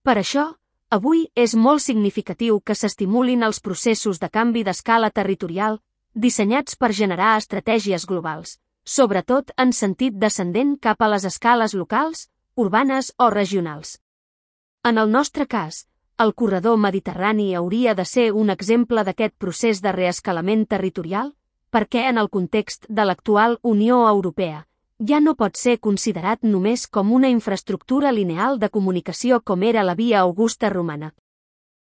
Per això, avui és molt significatiu que s'estimulin els processos de canvi d'escala territorial dissenyats per generar estratègies globals, sobretot en sentit descendent cap a les escales locals, urbanes o regionals. En el nostre cas, el corredor mediterrani hauria de ser un exemple d'aquest procés de reescalament territorial, perquè en el context de l'actual Unió Europea ja no pot ser considerat només com una infraestructura lineal de comunicació com era la Via Augusta romana.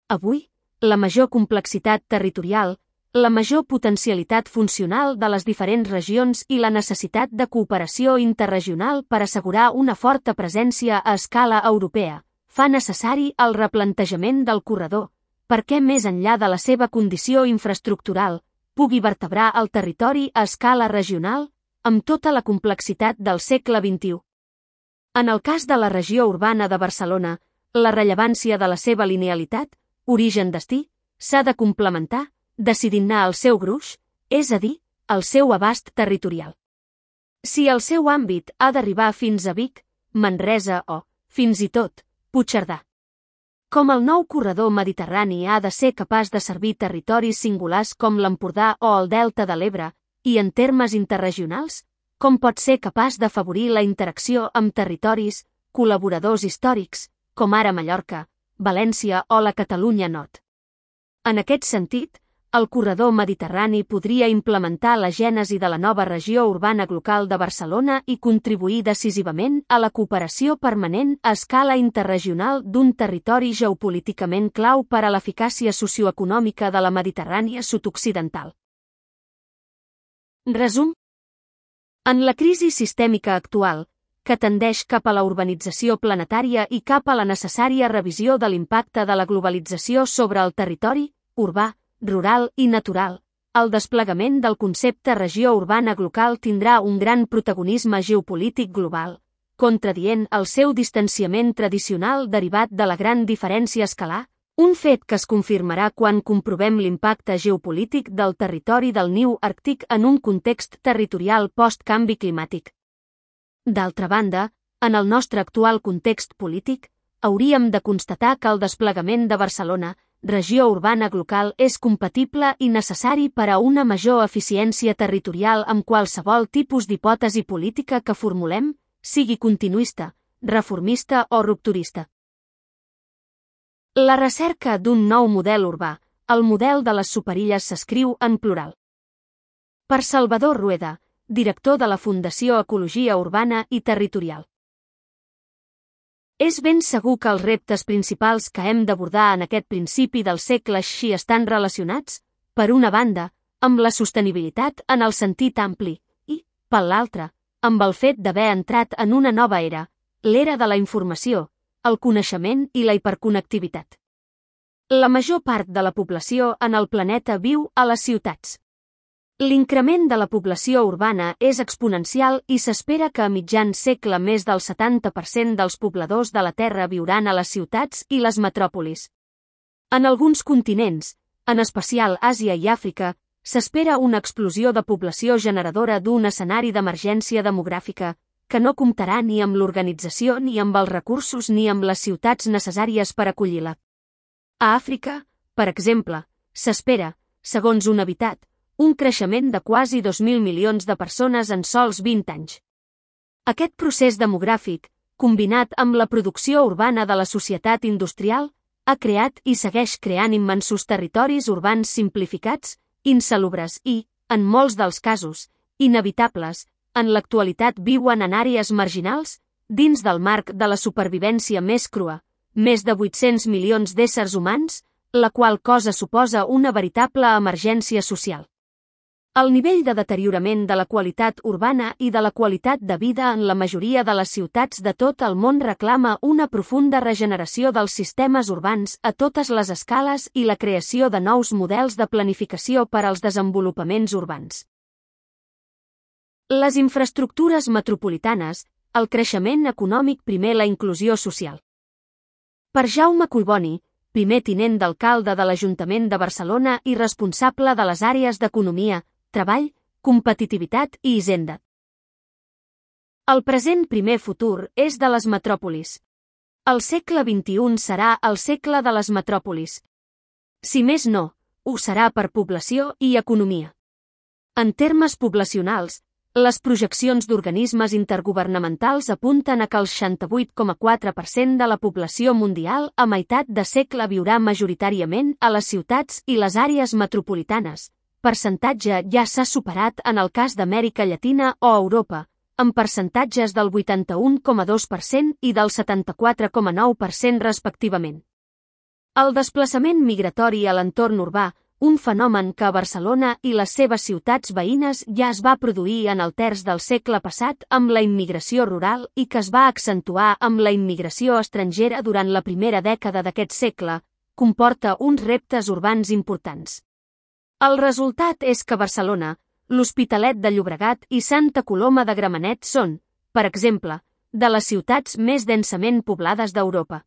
Avui, la major complexitat territorial, la major potencialitat funcional de les diferents regions i la necessitat de cooperació interregional per assegurar una forta presència a escala europea fa necessari el replantejament del corredor, perquè més enllà de la seva condició infraestructural, pugui vertebrar el territori a escala regional amb tota la complexitat del segle vint-i-u. En el cas de la regió urbana de Barcelona, la rellevància de la seva linealitat, origen-destí, s'ha de complementar decidint-ne el seu gruix, és a dir, el seu abast territorial. Si el seu àmbit ha d'arribar fins a Vic, Manresa o, fins i tot, Puigcerdà. Com el nou corredor mediterrani ha de ser capaç de servir territoris singulars com l'Empordà o el Delta de l'Ebre, i en termes interregionals, com pot ser capaç d'afavorir la interacció amb territoris, col·laboradors històrics, com ara Mallorca, València o la Catalunya Nord. En aquest sentit, el corredor mediterrani podria implementar la gènesi de la nova regió urbana local de Barcelona i contribuir decisivament a la cooperació permanent a escala interregional d'un territori geopolíticament clau per a l'eficàcia socioeconòmica de la Mediterrània sud-occidental. Resum. En la crisi sistèmica actual, que tendeix cap a la urbanització planetària i cap a la necessària revisió de l'impacte de la globalització sobre el territori, urbà, rural i natural, el desplegament del concepte regió urbana local tindrà un gran protagonisme geopolític global, contradient el seu distanciament tradicional derivat de la gran diferència escalar, un fet que es confirmarà quan comprovem l'impacte geopolític del territori del niu àrtic en un context territorial post-canvi climàtic. D'altra banda, en el nostre actual context polític, hauríem de constatar que el desplegament de Barcelona, regió urbana local, és compatible i necessari per a una major eficiència territorial amb qualsevol tipus d'hipòtesi política que formulem, sigui continuista, reformista o rupturista. La recerca d'un nou model urbà, el model de les superilles, s'escriu en plural. Per Salvador Rueda, director de la Fundació Ecologia Urbana i Territorial. És ben segur que els reptes principals que hem d'abordar en aquest principi del segle així estan relacionats, per una banda, amb la sostenibilitat en el sentit ampli i, per l'altra, amb el fet d'haver entrat en una nova era, l'era de la informació, el coneixement i la hiperconnectivitat. La major part de la població en el planeta viu a les ciutats. L'increment de la població urbana és exponencial i s'espera que a mitjan segle més del setanta per cent dels pobladors de la Terra viuran a les ciutats i les metròpolis. En alguns continents, en especial Àsia i Àfrica, s'espera una explosió de població generadora d'un escenari d'emergència demogràfica, que no comptarà ni amb l'organització ni amb els recursos ni amb les ciutats necessàries per acollir-la. A Àfrica, per exemple, s'espera, segons un Habitat, un creixement de quasi dos mil milions de persones en sols vint anys. Aquest procés demogràfic, combinat amb la producció urbana de la societat industrial, ha creat i segueix creant immensos territoris urbans simplificats, insalubres i, en molts dels casos, inevitables, en l'actualitat viuen en àrees marginals, dins del marc de la supervivència més crua, més de vuit-cents milions d'éssers humans, la qual cosa suposa una veritable emergència social. El nivell de deteriorament de la qualitat urbana i de la qualitat de vida en la majoria de les ciutats de tot el món reclama una profunda regeneració dels sistemes urbans a totes les escales i la creació de nous models de planificació per als desenvolupaments urbans. Les infraestructures metropolitanes, el creixement econòmic primer la inclusió social. Per Jaume Collboni, primer tinent d'alcalde de l'Ajuntament de Barcelona i responsable de les àrees d'economia, treball, competitivitat i hisenda. El present primer futur és de les metròpolis. El segle vint-i-u serà el segle de les metròpolis. Si més no, ho serà per població i economia. En termes poblacionals, les projeccions d'organismes intergovernamentals apunten a que el seixanta-vuit coma quatre per cent de la població mundial a meitat de segle viurà majoritàriament a les ciutats i les àrees metropolitanes. Percentatge ja s'ha superat en el cas d'Amèrica Llatina o Europa, amb percentatges del vuitanta-un coma dos per cent i del setanta-quatre coma nou per cent respectivament. El desplaçament migratori a l'entorn urbà, un fenomen que a Barcelona i les seves ciutats veïnes ja es va produir en el terç del segle passat amb la immigració rural i que es va accentuar amb la immigració estrangera durant la primera dècada d'aquest segle, comporta uns reptes urbans importants. El resultat és que Barcelona, l'Hospitalet de Llobregat i Santa Coloma de Gramenet són, per exemple, de les ciutats més densament poblades d'Europa.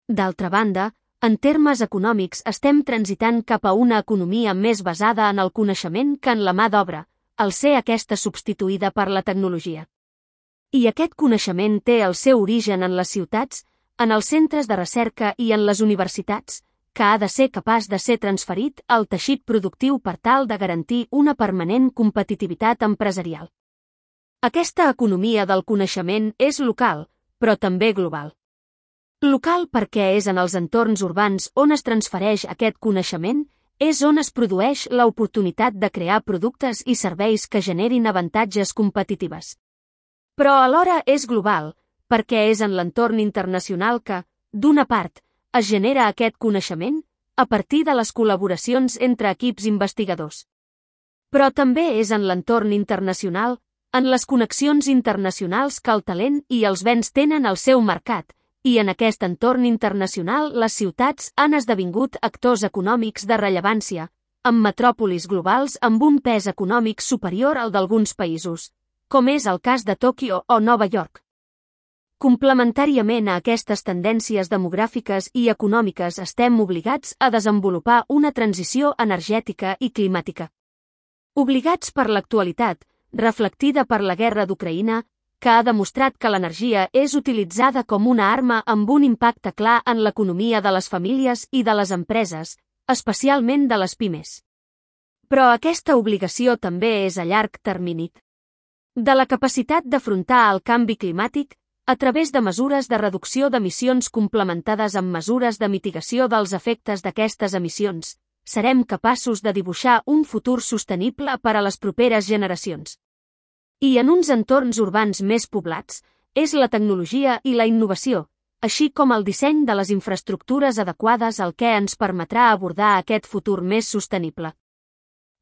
D'altra banda, en termes econòmics estem transitant cap a una economia més basada en el coneixement que en la mà d'obra, al ser aquesta substituïda per la tecnologia. I aquest coneixement té el seu origen en les ciutats, en els centres de recerca i en les universitats, que ha de ser capaç de ser transferit al teixit productiu per tal de garantir una permanent competitivitat empresarial. Aquesta economia del coneixement és local, però també global. Local perquè és en els entorns urbans on es transfereix aquest coneixement, és on es produeix l'oportunitat de crear productes i serveis que generin avantatges competitives. Però alhora és global, perquè és en l'entorn internacional que, d'una part, es genera aquest coneixement a partir de les col·laboracions entre equips investigadors. Però també és en l'entorn internacional, en les connexions internacionals que el talent i els béns tenen el seu mercat, i en aquest entorn internacional les ciutats han esdevingut actors econòmics de rellevància, amb metròpolis globals amb un pes econòmic superior al d'alguns països, com és el cas de Tòquio o Nova York. Complementàriament a aquestes tendències demogràfiques i econòmiques estem obligats a desenvolupar una transició energètica i climàtica. Obligats per l'actualitat, reflectida per la guerra d'Ucraïna, que ha demostrat que l'energia és utilitzada com una arma amb un impacte clar en l'economia de les famílies i de les empreses, especialment de les pimes. Però aquesta obligació també és a llarg termini. De la capacitat d'afrontar el canvi climàtic, a través de mesures de reducció d'emissions complementades amb mesures de mitigació dels efectes d'aquestes emissions, serem capaços de dibuixar un futur sostenible per a les properes generacions. I en uns entorns urbans més poblats, és la tecnologia i la innovació, així com el disseny de les infraestructures adequades el que ens permetrà abordar aquest futur més sostenible.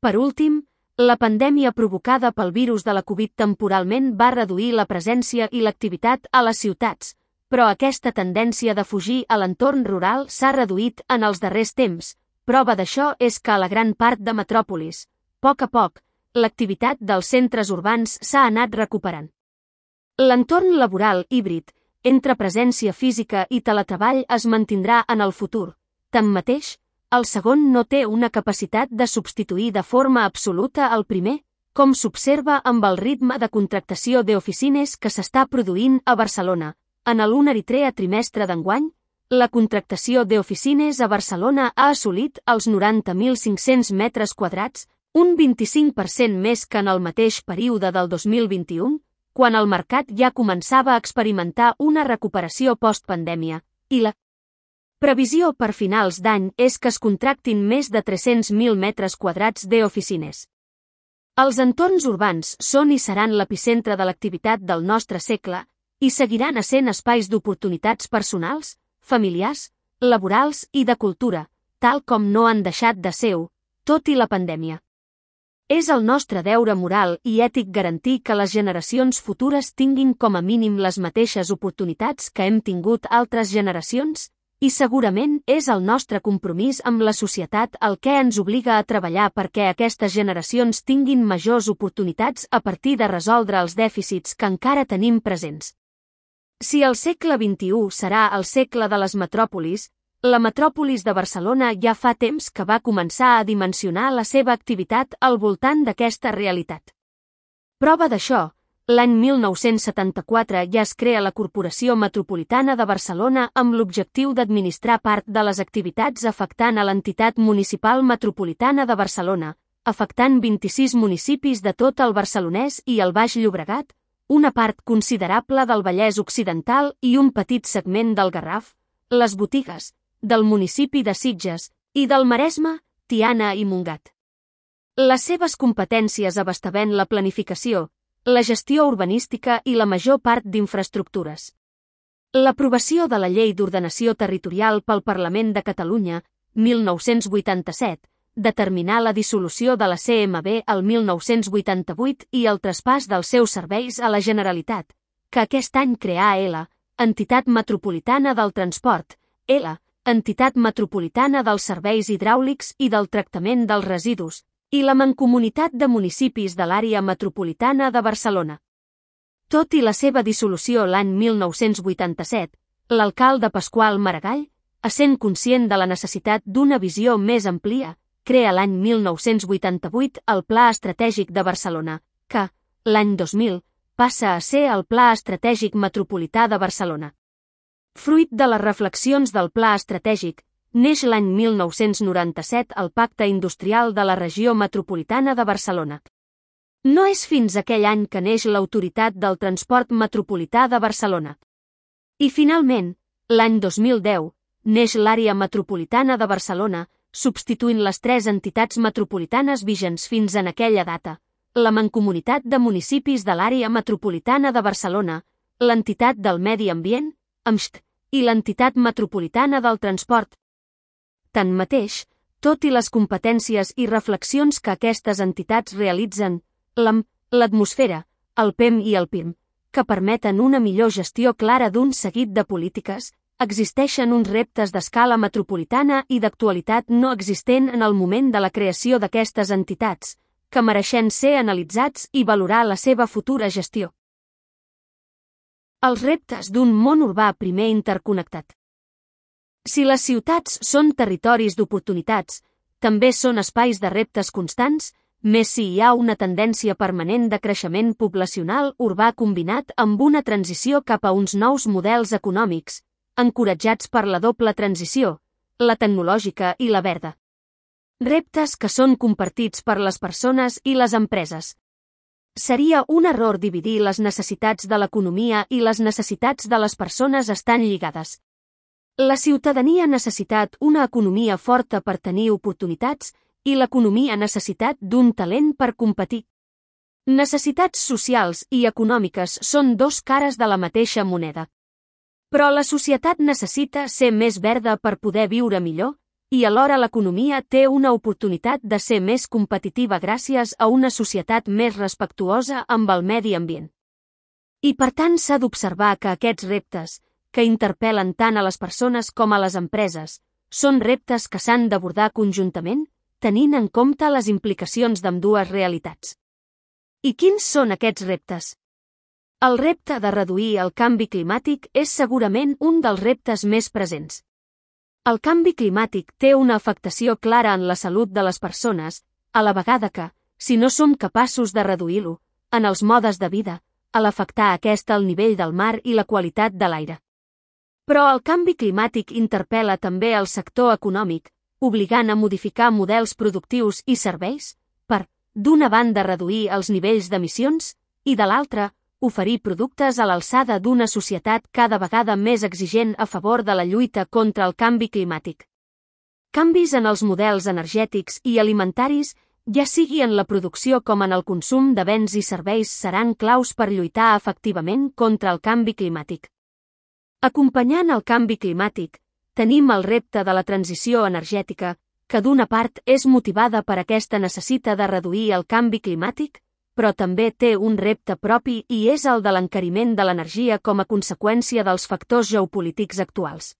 Per últim, la pandèmia provocada pel virus de la Covid temporalment va reduir la presència i l'activitat a les ciutats, però aquesta tendència de fugir a l'entorn rural s'ha reduït en els darrers temps. Prova d'això és que a la gran part de metròpolis, a poc a poc, l'activitat dels centres urbans s'ha anat recuperant. L'entorn laboral híbrid, entre presència física i teletreball es mantindrà en el futur. Tanmateix, el segon no té una capacitat de substituir de forma absoluta el primer, com s'observa amb el ritme de contractació d'oficines que s'està produint a Barcelona. En l'un eritrea trimestre d'enguany, la contractació d'oficines a Barcelona ha assolit els noranta mil cinc-cents metres quadrats, un vint-i-cinc per cent més que en el mateix període del dos mil vint-i-u, quan el mercat ja començava a experimentar una recuperació postpandèmia, i la previsió per finals d'any és que es contractin més de tres-cents mil metres quadrats d'oficines. Els entorns urbans són i seran l'epicentre de l'activitat del nostre segle i seguiran essent espais d'oportunitats personals, familiars, laborals i de cultura, tal com no han deixat de ser-ho, tot i la pandèmia. És el nostre deure moral i ètic garantir que les generacions futures tinguin com a mínim les mateixes oportunitats que hem tingut altres generacions, i segurament és el nostre compromís amb la societat el que ens obliga a treballar perquè aquestes generacions tinguin majors oportunitats a partir de resoldre els dèficits que encara tenim presents. Si el segle vint-i-u serà el segle de les metròpolis, la metròpolis de Barcelona ja fa temps que va començar a dimensionar la seva activitat al voltant d'aquesta realitat. Prova d'això, l'any mil nou-cents setanta-quatre ja es crea la Corporació Metropolitana de Barcelona amb l'objectiu d'administrar part de les activitats afectant a l'entitat municipal metropolitana de Barcelona, afectant vint-i-sis municipis de tot el Barcelonès i el Baix Llobregat, una part considerable del Vallès Occidental i un petit segment del Garraf, les botigues, del municipi de Sitges i del Maresme, Tiana i Montgat. Les seves competències abastament la planificació, la gestió urbanística i la major part d'infraestructures. L'aprovació de la Llei d'Ordenació Territorial pel Parlament de Catalunya, mil nou-cents vuitanta-set, determinar la dissolució de la C M B el mil nou-cents vuitanta-vuit i el traspàs dels seus serveis a la Generalitat, que aquest any creà L, Entitat Metropolitana del Transport, L, Entitat Metropolitana dels Serveis Hidràulics i del Tractament dels Residus, i la Mancomunitat de Municipis de l'Àrea Metropolitana de Barcelona. Tot i la seva dissolució l'any mil nou-cents vuitanta-set, l'alcalde Pasqual Maragall, essent conscient de la necessitat d'una visió més amplia, crea l'any mil nou-cents vuitanta-vuit el Pla Estratègic de Barcelona, que, l'any dos mil, passa a ser el Pla Estratègic Metropolità de Barcelona. Fruit de les reflexions del Pla Estratègic, neix l'any mil nou-cents noranta-set el Pacte Industrial de la Regió Metropolitana de Barcelona. No és fins aquell any que neix l'Autoritat del Transport Metropolità de Barcelona. I finalment, l'any dos mil deu, neix l'Àrea Metropolitana de Barcelona, substituint les tres entitats metropolitanes vigents fins en aquella data, la Mancomunitat de Municipis de l'Àrea Metropolitana de Barcelona, l'Entitat del Medi Ambient, A M S T, i l'Entitat Metropolitana del Transport. Tanmateix, tot i les competències i reflexions que aquestes entitats realitzen, l'A M, l'atmosfera, el P E M i el P I M, que permeten una millor gestió clara d'un seguit de polítiques, existeixen uns reptes d'escala metropolitana i d'actualitat no existent en el moment de la creació d'aquestes entitats, que mereixen ser analitzats i valorar la seva futura gestió. Els reptes d'un món urbà primer interconnectat. Si les ciutats són territoris d'oportunitats, també són espais de reptes constants, més si hi ha una tendència permanent de creixement poblacional urbà combinat amb una transició cap a uns nous models econòmics, encoratjats per la doble transició, la tecnològica i la verda. Reptes que són compartits per les persones i les empreses. Seria un error dividir les necessitats de l'economia i les necessitats de les persones estan lligades. La ciutadania ha necessitat una economia forta per tenir oportunitats i l'economia ha necessitat d'un talent per competir. Necessitats socials i econòmiques són dos cares de la mateixa moneda. Però la societat necessita ser més verda per poder viure millor, i alhora l'economia té una oportunitat de ser més competitiva gràcies a una societat més respectuosa amb el medi ambient. I per tant s'ha d'observar que aquests reptes, que interpel·len tant a les persones com a les empreses, són reptes que s'han d'abordar conjuntament, tenint en compte les implicacions d'ambdues realitats. I quins són aquests reptes? El repte de reduir el canvi climàtic és segurament un dels reptes més presents. El canvi climàtic té una afectació clara en la salut de les persones, a la vegada que, si no som capaços de reduir-lo, en els modes de vida, a l'afectar aquest el nivell del mar i la qualitat de l'aire. Però el canvi climàtic interpel·la també el sector econòmic, obligant a modificar models productius i serveis, per, d'una banda reduir els nivells d'emissions, i de l'altra, oferir productes a l'alçada d'una societat cada vegada més exigent a favor de la lluita contra el canvi climàtic. Canvis en els models energètics i alimentaris ja sigui en la producció com en el consum de béns i serveis, seran claus per lluitar efectivament contra el canvi climàtic. Acompanyant el canvi climàtic, tenim el repte de la transició energètica, que d'una part és motivada per aquesta necessitat de reduir el canvi climàtic, però també té un repte propi i és el de l'encariment de l'energia com a conseqüència dels factors geopolítics actuals.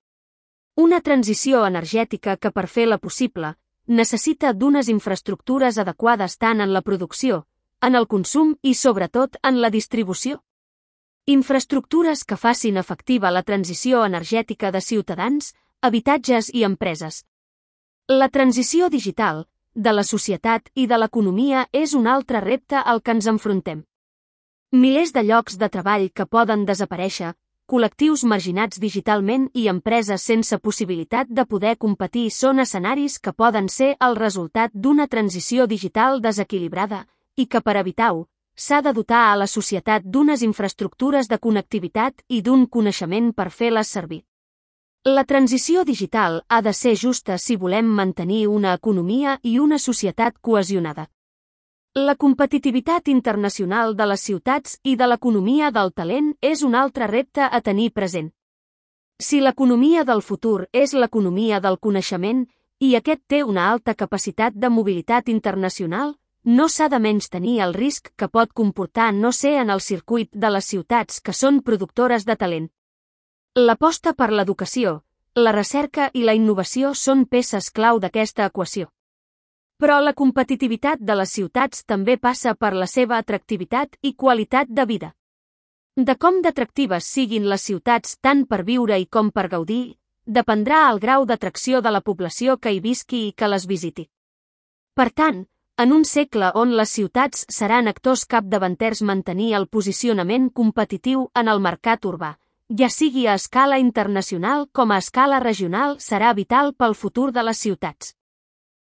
Una transició energètica que, per fer-la possible, necessita d'unes infraestructures adequades tant en la producció, en el consum i sobretot en la distribució. Infraestructures que facin efectiva la transició energètica de ciutadans, habitatges i empreses. La transició digital, de la societat i de l'economia és un altre repte al que ens enfrontem. Milers de llocs de treball que poden desaparèixer, col·lectius marginats digitalment i empreses sense possibilitat de poder competir són escenaris que poden ser el resultat d'una transició digital desequilibrada i que, per evitar-ho, s'ha de dotar a la societat d'unes infraestructures de connectivitat i d'un coneixement per fer-les servir. La transició digital ha de ser justa si volem mantenir una economia i una societat cohesionada. La competitivitat internacional de les ciutats i de l'economia del talent és un altre repte a tenir present. Si l'economia del futur és l'economia del coneixement i aquest té una alta capacitat de mobilitat internacional, no s'ha de menystenir el risc que pot comportar no ser en el circuit de les ciutats que són productores de talent. L'aposta per l'educació, la recerca i la innovació són peces clau d'aquesta equació. Però la competitivitat de les ciutats també passa per la seva atractivitat i qualitat de vida. De com d'atractives siguin les ciutats tant per viure i com per gaudir, dependrà el grau d'atracció de la població que hi visqui i que les visiti. Per tant, en un segle on les ciutats seran actors capdavanters, mantenir el posicionament competitiu en el mercat urbà, ja sigui a escala internacional com a escala regional, serà vital pel futur de les ciutats.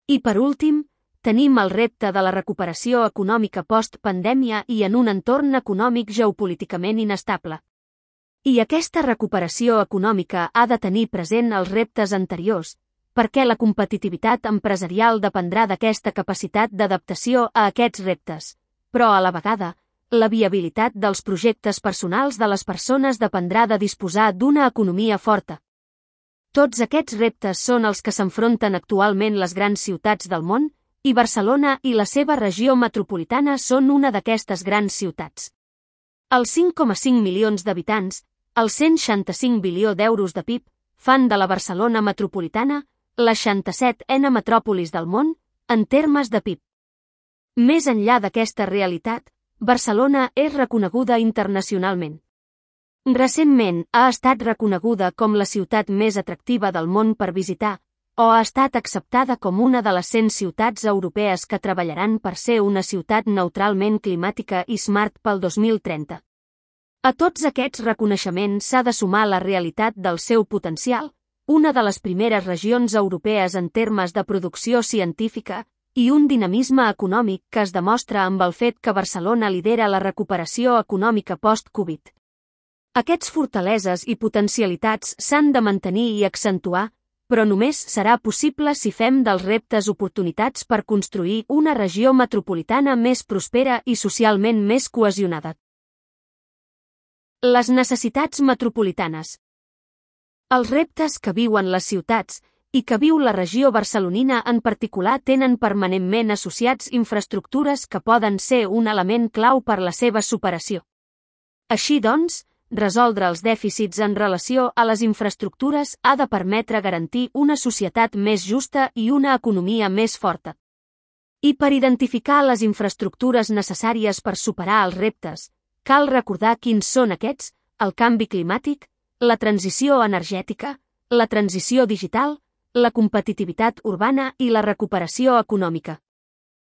I per últim, tenim el repte de la recuperació econòmica post-pandèmia i en un entorn econòmic geopolíticament inestable. I aquesta recuperació econòmica ha de tenir present els reptes anteriors, perquè la competitivitat empresarial dependrà d'aquesta capacitat d'adaptació a aquests reptes, però a la vegada, la viabilitat dels projectes personals de les persones dependrà de disposar d'una economia forta. Tots aquests reptes són els que s'enfronten actualment les grans ciutats del món, i Barcelona i la seva regió metropolitana són una d'aquestes grans ciutats. Els cinc coma cinc milions d'habitants, els cent seixanta-cinc bilió d'euros de P I B, fan de la Barcelona metropolitana la seixanta-setena metròpolis del món, en termes de P I B. Més enllà d'aquesta realitat, Barcelona és reconeguda internacionalment. Recentment ha estat reconeguda com la ciutat més atractiva del món per visitar, o ha estat acceptada com una de les cent ciutats europees que treballaran per ser una ciutat neutralment climàtica i smart pel dos mil trenta. A tots aquests reconeixements s'ha de sumar la realitat del seu potencial, una de les primeres regions europees en termes de producció científica, i un dinamisme econòmic que es demostra amb el fet que Barcelona lidera la recuperació econòmica post-Covid. Aquests fortaleses i potencialitats s'han de mantenir i accentuar, però només serà possible si fem dels reptes oportunitats per construir una regió metropolitana més prospera i socialment més cohesionada. Les necessitats metropolitanes. Els reptes que viuen les ciutats i que viu la regió barcelonina en particular tenen permanentment associats infraestructures que poden ser un element clau per la seva superació. Així doncs, resoldre els dèficits en relació a les infraestructures ha de permetre garantir una societat més justa i una economia més forta. I per identificar les infraestructures necessàries per superar els reptes, cal recordar quins són aquests: el canvi climàtic, la transició energètica, la transició digital, la competitivitat urbana i la recuperació econòmica.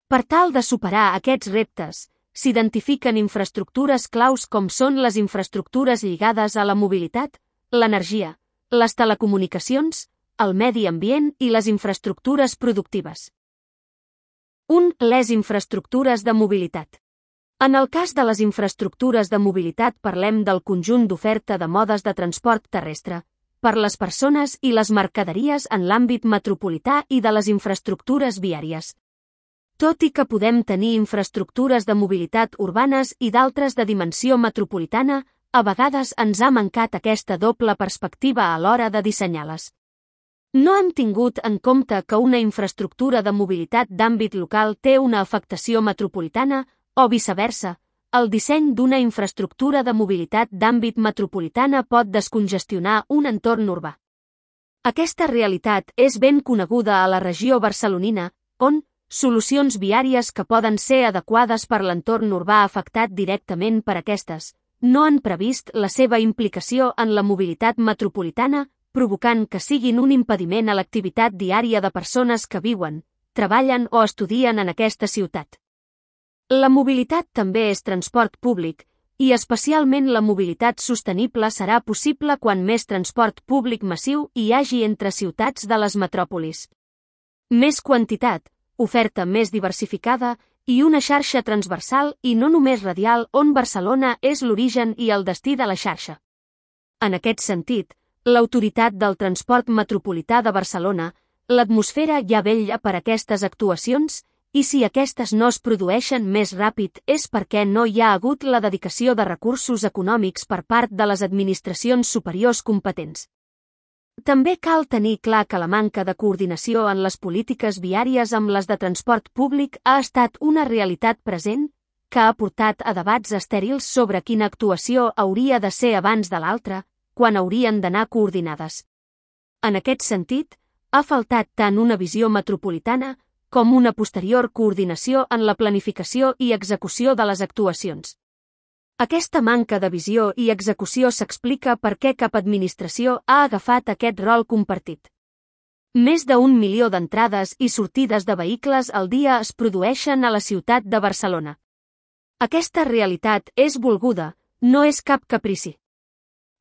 Per tal de superar aquests reptes, s'identifiquen infraestructures claus com són les infraestructures lligades a la mobilitat, l'energia, les telecomunicacions, el medi ambient i les infraestructures productives. un Les infraestructures de mobilitat. En el cas de les infraestructures de mobilitat parlem del conjunt d'oferta de modes de transport terrestre, per les persones i les mercaderies en l'àmbit metropolità i de les infraestructures viàries. Tot i que podem tenir infraestructures de mobilitat urbanes i d'altres de dimensió metropolitana, a vegades ens ha mancat aquesta doble perspectiva a l'hora de dissenyar-les. No hem tingut en compte que una infraestructura de mobilitat d'àmbit local té una afectació metropolitana, o viceversa, el disseny d'una infraestructura de mobilitat d'àmbit metropolitana pot descongestionar un entorn urbà. Aquesta realitat és ben coneguda a la regió barcelonina, on solucions viàries que poden ser adequades per l'entorn urbà afectat directament per aquestes no han previst la seva implicació en la mobilitat metropolitana, provocant que siguin un impediment a l'activitat diària de persones que viuen, treballen o estudien en aquesta ciutat. La mobilitat també és transport públic, i especialment la mobilitat sostenible serà possible quan més transport públic massiu hi hagi entre ciutats de les metròpolis. Més quantitat, oferta més diversificada i una xarxa transversal i no només radial on Barcelona és l'origen i el destí de la xarxa. En aquest sentit, l'Autoritat del Transport Metropolità de Barcelona, l'atmosfera ja vetlla per aquestes actuacions, i si aquestes no es produeixen més ràpid és perquè no hi ha hagut la dedicació de recursos econòmics per part de les administracions superiors competents. També cal tenir clar que la manca de coordinació en les polítiques viàries amb les de transport públic ha estat una realitat present, que ha portat a debats estèrils sobre quina actuació hauria de ser abans de l'altra, quan haurien d'anar coordinades. En aquest sentit, ha faltat tant una visió metropolitana com una posterior coordinació en la planificació i execució de les actuacions. Aquesta manca de visió i execució s'explica per què cap administració ha agafat aquest rol compartit. Més d'un milió d'entrades i sortides de vehicles al dia es produeixen a la ciutat de Barcelona. Aquesta realitat és volguda, no és cap caprici.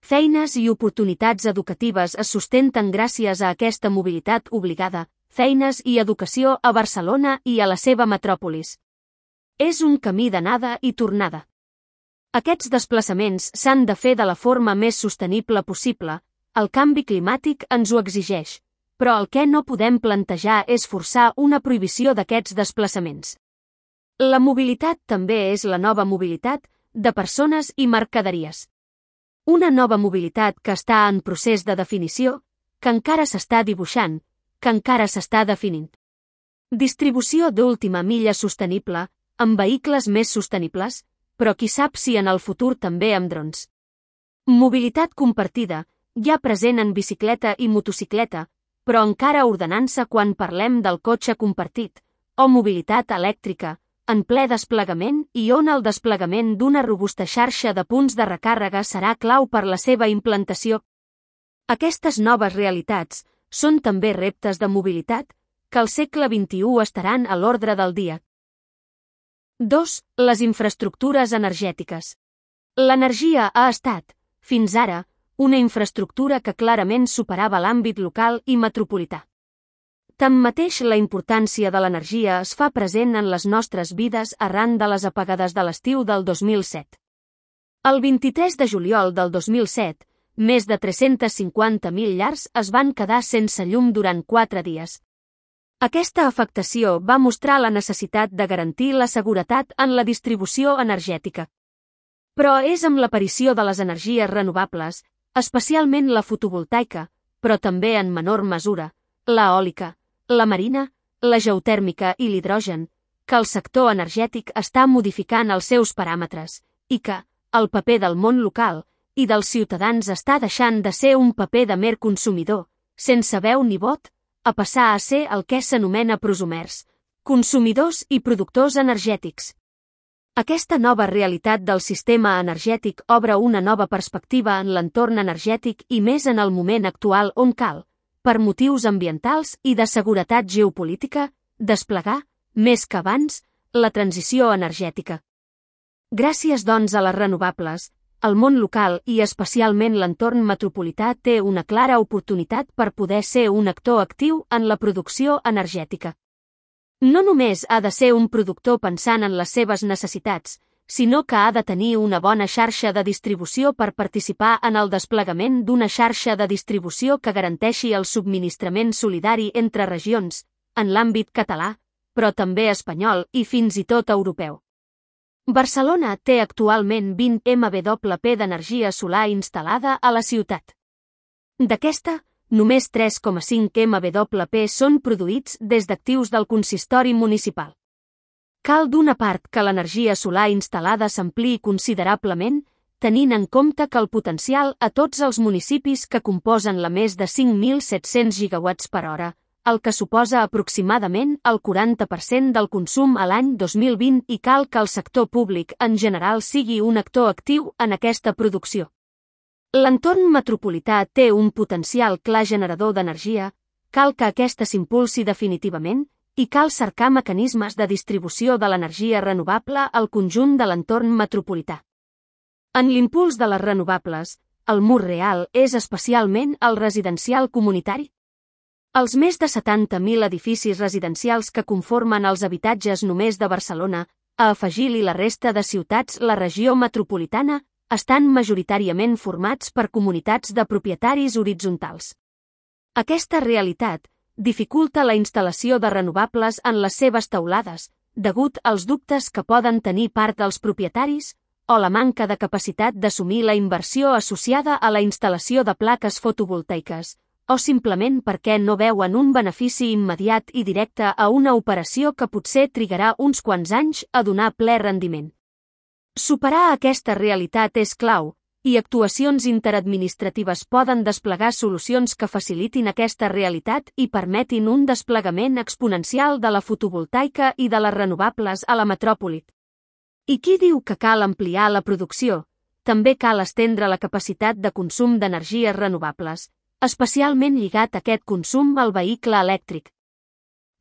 Feines i oportunitats educatives es sustenten gràcies a aquesta mobilitat obligada, feines i educació a Barcelona i a la seva metròpolis. És un camí d'anada i tornada. Aquests desplaçaments s'han de fer de la forma més sostenible possible, el canvi climàtic ens ho exigeix, però el que no podem plantejar és forçar una prohibició d'aquests desplaçaments. La mobilitat també és la nova mobilitat de persones i mercaderies. Una nova mobilitat que està en procés de definició, que encara s'està dibuixant, que encara s'està definint. Distribució d'última milla sostenible, amb vehicles més sostenibles, però qui sap si en el futur també amb drons. Mobilitat compartida, ja present en bicicleta i motocicleta, però encara ordenant-se quan parlem del cotxe compartit, o mobilitat elèctrica, en ple desplegament i on el desplegament d'una robusta xarxa de punts de recàrrega serà clau per la seva implantació. Aquestes noves realitats són també reptes de mobilitat que al segle vint-i-u estaran a l'ordre del dia. dos. Les infraestructures energètiques. L'energia ha estat, fins ara, una infraestructura que clarament superava l'àmbit local i metropolità. Tanmateix, la importància de l'energia es fa present en les nostres vides arran de les apagades de l'estiu del dos mil set. El vint-i-tres de juliol del dos mil set, més de tres-cents cinquanta mil llars es van quedar sense llum durant quatre dies. Aquesta afectació va mostrar la necessitat de garantir la seguretat en la distribució energètica. Però és amb l'aparició de les energies renovables, especialment la fotovoltaica, però també en menor mesura, l'eòlica, la marina, la geotèrmica i l'hidrogen, que el sector energètic està modificant els seus paràmetres, i que el paper del món local i dels ciutadans està deixant de ser un paper de mer consumidor, sense veu ni vot, a passar a ser el que s'anomena prosumers, consumidors i productors energètics. Aquesta nova realitat del sistema energètic obre una nova perspectiva en l'entorn energètic i més en el moment actual on cal, per motius ambientals i de seguretat geopolítica, desplegar, més que abans, la transició energètica. Gràcies, doncs, a les renovables, el món local i especialment l'entorn metropolità té una clara oportunitat per poder ser un actor actiu en la producció energètica. No només ha de ser un productor pensant en les seves necessitats, sinó que ha de tenir una bona xarxa de distribució per participar en el desplegament d'una xarxa de distribució que garanteixi el subministrament solidari entre regions, en l'àmbit català, però també espanyol i fins i tot europeu. Barcelona té actualment vint megawatts d'energia solar instal·lada a la ciutat. D'aquesta, només tres coma cinc megawatts són produïts des d'actius del consistori municipal. Cal d'una part que l'energia solar instal·lada s'ampliï considerablement, tenint en compte que el potencial a tots els municipis que composen la més de cinc mil set-cents gigawatts per hora, el que suposa aproximadament el quaranta per cent del consum a l'any dos mil vint i cal que el sector públic en general sigui un actor actiu en aquesta producció. L'entorn metropolità té un potencial clar generador d'energia, cal que aquesta s'impulsi definitivament i cal cercar mecanismes de distribució de l'energia renovable al conjunt de l'entorn metropolità. En l'impuls de les renovables, el mur real és especialment el residencial comunitari. Els més de setanta mil edificis residencials que conformen els habitatges només de Barcelona, a afegir-li la resta de ciutats la regió metropolitana, estan majoritàriament formats per comunitats de propietaris horitzontals. Aquesta realitat dificulta la instal·lació de renovables en les seves teulades, degut als dubtes que poden tenir part dels propietaris o la manca de capacitat d'assumir la inversió associada a la instal·lació de plaques fotovoltaiques, o simplement perquè no veuen un benefici immediat i directe a una operació que potser trigarà uns quants anys a donar ple rendiment. Superar aquesta realitat és clau, i actuacions interadministratives poden desplegar solucions que facilitin aquesta realitat i permetin un desplegament exponencial de la fotovoltaica i de les renovables a la metròpoli. I qui diu que cal ampliar la producció? També cal estendre la capacitat de consum d'energies renovables, especialment lligat aquest consum al vehicle elèctric.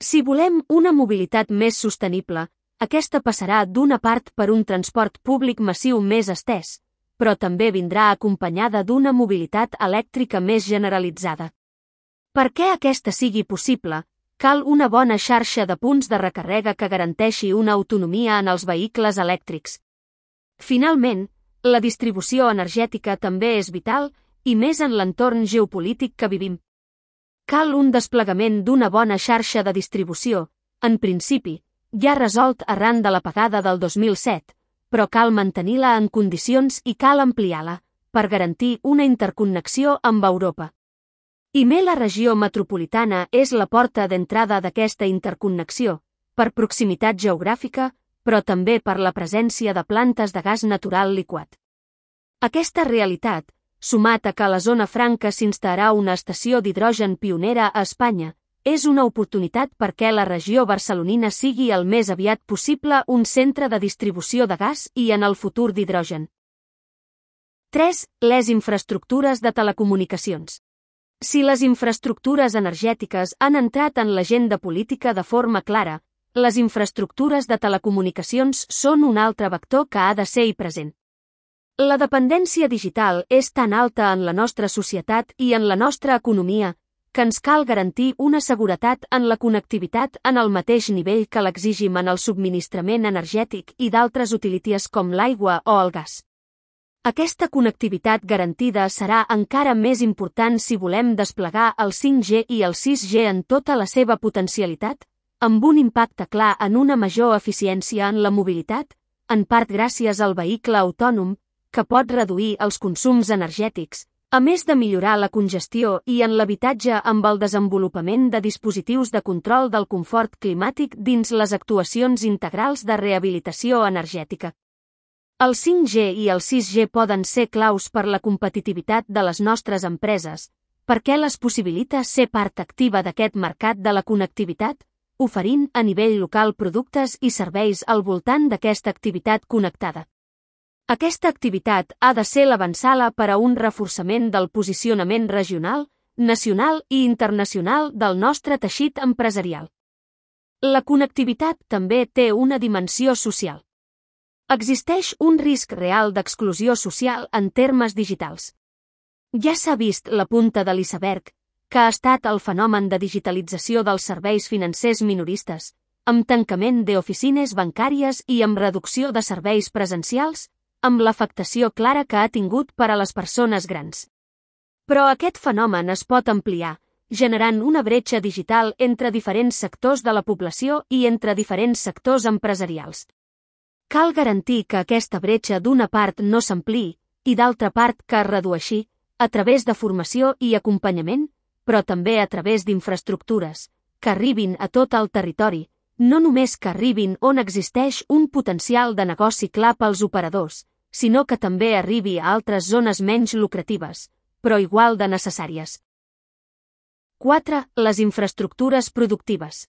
Si volem una mobilitat més sostenible, aquesta passarà d'una part per un transport públic massiu més estès, però també vindrà acompanyada d'una mobilitat elèctrica més generalitzada. Perquè aquesta sigui possible, cal una bona xarxa de punts de recàrrega que garanteixi una autonomia en els vehicles elèctrics. Finalment, la distribució energètica també és vital, i més en l'entorn geopolític que vivim. Cal un desplegament d'una bona xarxa de distribució, en principi, ja resolt arran de l'apagada del dos mil set, però cal mantenir-la en condicions i cal ampliar-la, per garantir una interconnexió amb Europa. I més la regió metropolitana és la porta d'entrada d'aquesta interconnexió, per proximitat geogràfica, però també per la presència de plantes de gas natural liquat. Aquesta realitat, sumat a que a la zona franca s'instal·larà una estació d'hidrogen pionera a Espanya, és una oportunitat perquè la regió barcelonina sigui el més aviat possible un centre de distribució de gas i en el futur d'hidrogen. tres. Les infraestructures de telecomunicacions. Si les infraestructures energètiques han entrat en l'agenda política de forma clara, les infraestructures de telecomunicacions són un altre vector que ha de ser-hi present. La dependència digital és tan alta en la nostra societat i en la nostra economia que ens cal garantir una seguretat en la connectivitat en el mateix nivell que l'exigim en el subministrament energètic i d'altres utilities com l'aigua o el gas. Aquesta connectivitat garantida serà encara més important si volem desplegar el cinc G i el sis G en tota la seva potencialitat, amb un impacte clar en una major eficiència en la mobilitat, en part gràcies al vehicle autònom, que pot reduir els consums energètics, a més de millorar la congestió i en l'habitatge amb el desenvolupament de dispositius de control del confort climàtic dins les actuacions integrals de rehabilitació energètica. El cinc G i el sis G poden ser claus per la competitivitat de les nostres empreses, perquè les possibilita ser part activa d'aquest mercat de la connectivitat, oferint a nivell local productes i serveis al voltant d'aquesta activitat connectada. Aquesta activitat ha de ser l'avantsala per a un reforçament del posicionament regional, nacional i internacional del nostre teixit empresarial. La connectivitat també té una dimensió social. Existeix un risc real d'exclusió social en termes digitals. Ja s'ha vist la punta de l'iceberg, que ha estat el fenomen de digitalització dels serveis financers minoristes, amb tancament d'oficines bancàries i amb reducció de serveis presencials, amb l'afectació clara que ha tingut per a les persones grans. Però aquest fenomen es pot ampliar, generant una bretxa digital entre diferents sectors de la població i entre diferents sectors empresarials. Cal garantir que aquesta bretxa d'una part no s'ampliï i d'altra part que es redueixi, a través de formació i acompanyament, però també a través d'infraestructures, que arribin a tot el territori, no només que arribin on existeix un potencial de negoci clar pels operadors, sinó que també arribi a altres zones menys lucratives, però igual de necessàries. quatre. Les infraestructures productives.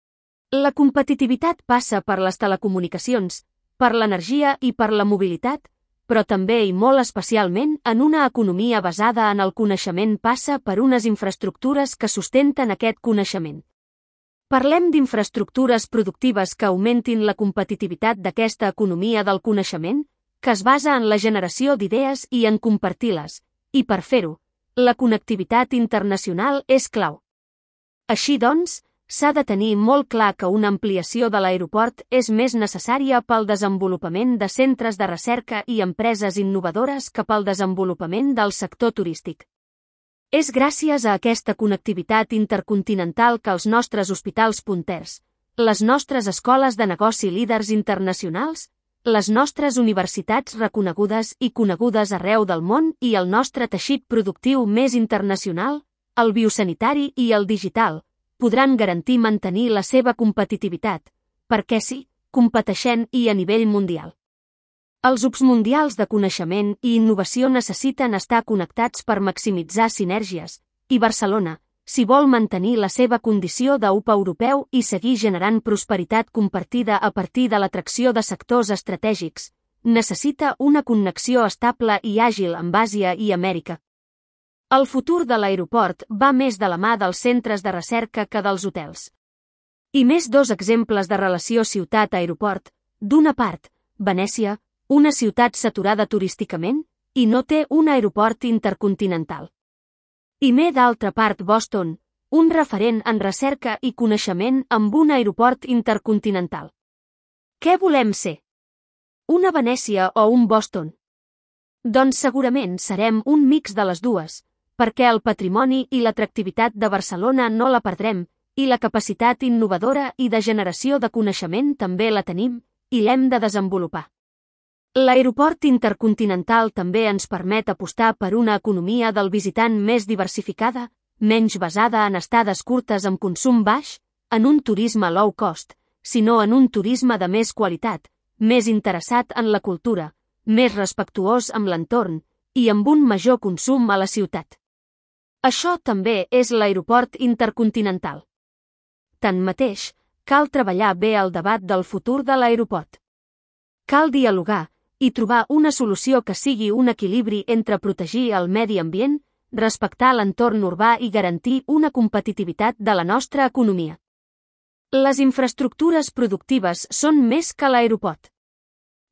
La competitivitat passa per les telecomunicacions, per l'energia i per la mobilitat, però també i molt especialment en una economia basada en el coneixement passa per unes infraestructures que sustenten aquest coneixement. Parlem d'infraestructures productives que augmentin la competitivitat d'aquesta economia del coneixement, que es basa en la generació d'idees i en compartir-les, i per fer-ho, la connectivitat internacional és clau. Així doncs, s'ha de tenir molt clar que una ampliació de l'aeroport és més necessària pel desenvolupament de centres de recerca i empreses innovadores que pel desenvolupament del sector turístic. És gràcies a aquesta connectivitat intercontinental que els nostres hospitals punters, les nostres escoles de negoci líders internacionals, les nostres universitats reconegudes i conegudes arreu del món i el nostre teixit productiu més internacional, el biosanitari i el digital, podran garantir mantenir la seva competitivitat, perquè sí, competeixent i a nivell mundial. Els hubs mundials de coneixement i innovació necessiten estar connectats per maximitzar sinergies, i Barcelona, si vol mantenir la seva condició de hub europeu i seguir generant prosperitat compartida a partir de l'atracció de sectors estratègics, necessita una connexió estable i àgil amb Àsia i Amèrica. El futur de l'aeroport va més de la mà dels centres de recerca que dels hotels. I més dos exemples de relació ciutat-aeroport. D'una part, Venècia, una ciutat saturada turísticament, i no té un aeroport intercontinental. I més d'altra part Boston, un referent en recerca i coneixement amb un aeroport intercontinental. Què volem ser? Una Venècia o un Boston? Doncs segurament serem un mix de les dues, perquè el patrimoni i l'atractivitat de Barcelona no la perdrem, i la capacitat innovadora i de generació de coneixement també la tenim, i l'hem de desenvolupar. L'aeroport intercontinental també ens permet apostar per una economia del visitant més diversificada, menys basada en estades curtes amb consum baix, en un turisme low cost, sinó en un turisme de més qualitat, més interessat en la cultura, més respectuós amb l'entorn i amb un major consum a la ciutat. Això també és l'aeroport intercontinental. Tanmateix, cal treballar bé el debat del futur de l'aeroport. Cal dialogar i trobar una solució que sigui un equilibri entre protegir el medi ambient, respectar l'entorn urbà i garantir una competitivitat de la nostra economia. Les infraestructures productives són més que l'aeroport.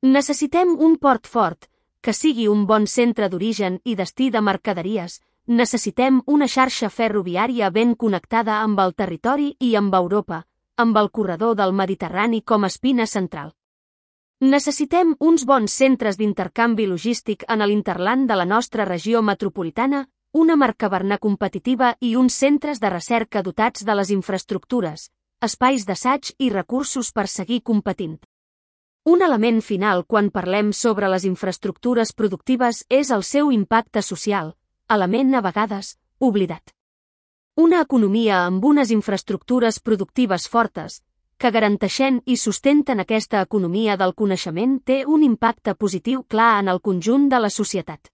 Necessitem un port fort, que sigui un bon centre d'origen i destí de mercaderies. Necessitem una xarxa ferroviària ben connectada amb el territori i amb Europa, amb el corredor del Mediterrani com a espina central. Necessitem uns bons centres d'intercanvi logístic en l'interland de la nostra regió metropolitana, una Mercabarna competitiva i uns centres de recerca dotats de les infraestructures, espais d'assaig i recursos per seguir competint. Un element final quan parlem sobre les infraestructures productives és el seu impacte social, element a vegades oblidat. Una economia amb unes infraestructures productives fortes, que garanteixen i sustenten aquesta economia del coneixement té un impacte positiu clar en el conjunt de la societat.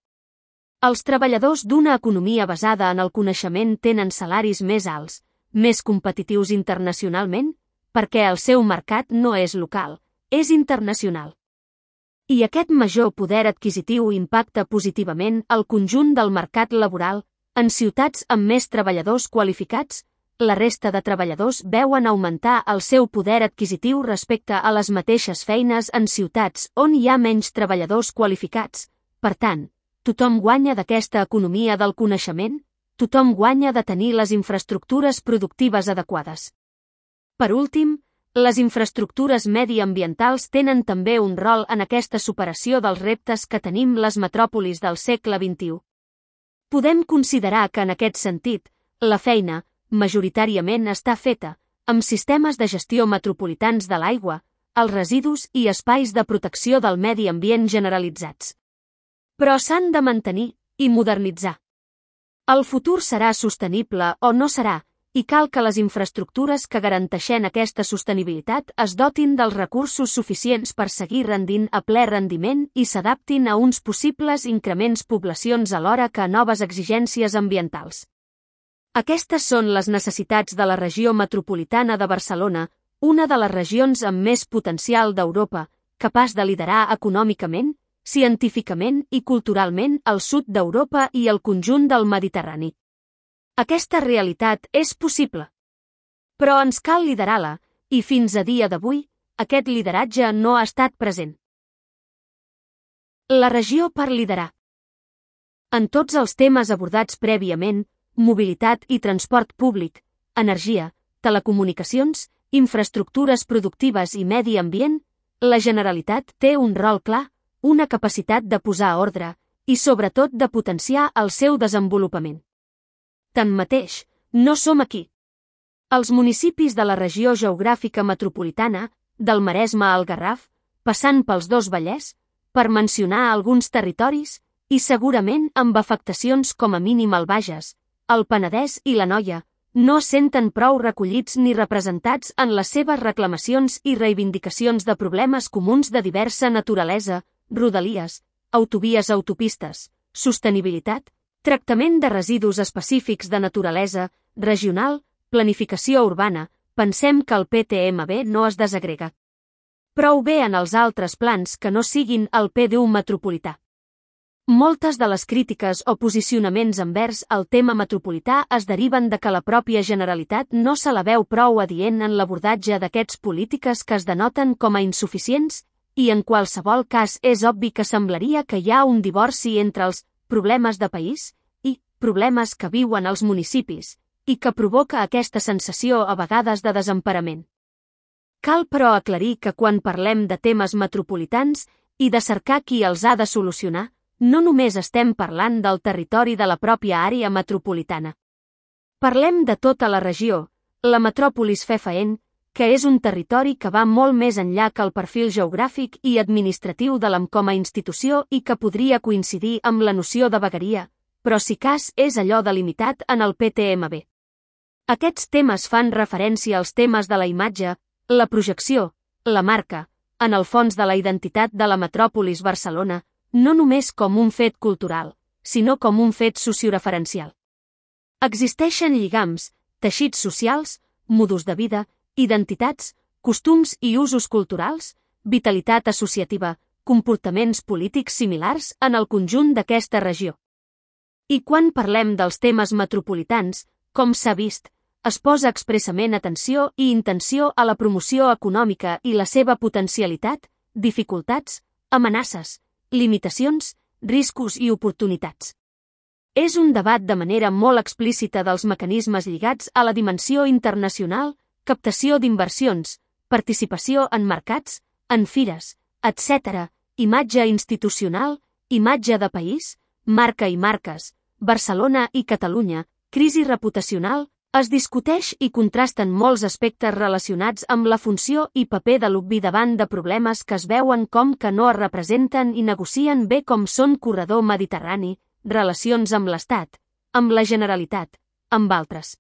Els treballadors d'una economia basada en el coneixement tenen salaris més alts, més competitius internacionalment, perquè el seu mercat no és local, és internacional. I aquest major poder adquisitiu impacta positivament el conjunt del mercat laboral. En ciutats amb més treballadors qualificats, la resta de treballadors veuen augmentar el seu poder adquisitiu respecte a les mateixes feines en ciutats on hi ha menys treballadors qualificats. Per tant, tothom guanya d'aquesta economia del coneixement, tothom guanya de tenir les infraestructures productives adequades. Per últim, les infraestructures mediambientals tenen també un rol en aquesta superació dels reptes que tenim les metròpolis del segle vint-i-u. Podem considerar que en aquest sentit, la feina, majoritàriament està feta amb sistemes de gestió metropolitans de l'aigua, els residus i espais de protecció del medi ambient generalitzats. Però s'han de mantenir i modernitzar. El futur serà sostenible o no serà, i cal que les infraestructures que garanteixen aquesta sostenibilitat es dotin dels recursos suficients per seguir rendint a ple rendiment i s'adaptin a uns possibles increments poblacions alhora que a noves exigències ambientals. Aquestes són les necessitats de la regió metropolitana de Barcelona, una de les regions amb més potencial d'Europa, capaç de liderar econòmicament, científicament i culturalment el sud d'Europa i el conjunt del Mediterrani. Aquesta realitat és possible. Però ens cal liderar-la, i fins a dia d'avui, aquest lideratge no ha estat present. La regió per liderar. En tots els temes abordats prèviament, mobilitat i transport públic, energia, telecomunicacions, infraestructures productives i medi ambient, la Generalitat té un rol clar, una capacitat de posar ordre i, sobretot, de potenciar el seu desenvolupament. Tanmateix, no som aquí. Els municipis de la regió geogràfica metropolitana, del Maresme al Garraf, passant pels dos Vallès, per mencionar alguns territoris, i segurament amb afectacions com a mínim al Bages, el Penedès i l'Anoia, no es senten prou recollits ni representats en les seves reclamacions i reivindicacions de problemes comuns de diversa naturalesa, rodalies, autovies autopistes, sostenibilitat, tractament de residus específics de naturalesa, regional, planificació urbana, pensem que el P T M B no es desagrega prou bé en els altres plans que no siguin el P D U metropolità. Moltes de les crítiques o posicionaments envers el tema metropolità es deriven de que la pròpia Generalitat no se la veu prou adient en l'abordatge d'aquests polítiques que es denoten com a insuficients i en qualsevol cas és obvi que semblaria que hi ha un divorci entre els problemes de país i problemes que viuen els municipis i que provoca aquesta sensació a vegades de desemparament. Cal però aclarir que quan parlem de temes metropolitans i de cercar qui els ha de solucionar, no només estem parlant del territori de la pròpia àrea metropolitana. Parlem de tota la regió, la metròpolis fefaent, que és un territori que va molt més enllà que el perfil geogràfic i administratiu de l'A M com a institució i que podria coincidir amb la noció de vegueria, però si cas és allò delimitat en el P T M B. Aquests temes fan referència als temes de la imatge, la projecció, la marca, en el fons de la identitat de la metròpolis Barcelona, no només com un fet cultural, sinó com un fet socioreferencial. Existeixen lligams, teixits socials, modus de vida, identitats, costums i usos culturals, vitalitat associativa, comportaments polítics similars en el conjunt d'aquesta regió. I quan parlem dels temes metropolitans, com s'ha vist, es posa expressament atenció i intenció a la promoció econòmica i la seva potencialitat, dificultats, amenaces, limitacions, riscos i oportunitats. És un debat de manera molt explícita dels mecanismes lligats a la dimensió internacional, captació d'inversions, participació en mercats, en fires, etcètera, imatge institucional, imatge de país, marca i marques, Barcelona i Catalunya, crisi reputacional, es discuteix i contrasten molts aspectes relacionats amb la funció i paper de l'U B I davant de problemes que es veuen com que no es representen i negocien bé com són corredor mediterrani, relacions amb l'Estat, amb la Generalitat, amb altres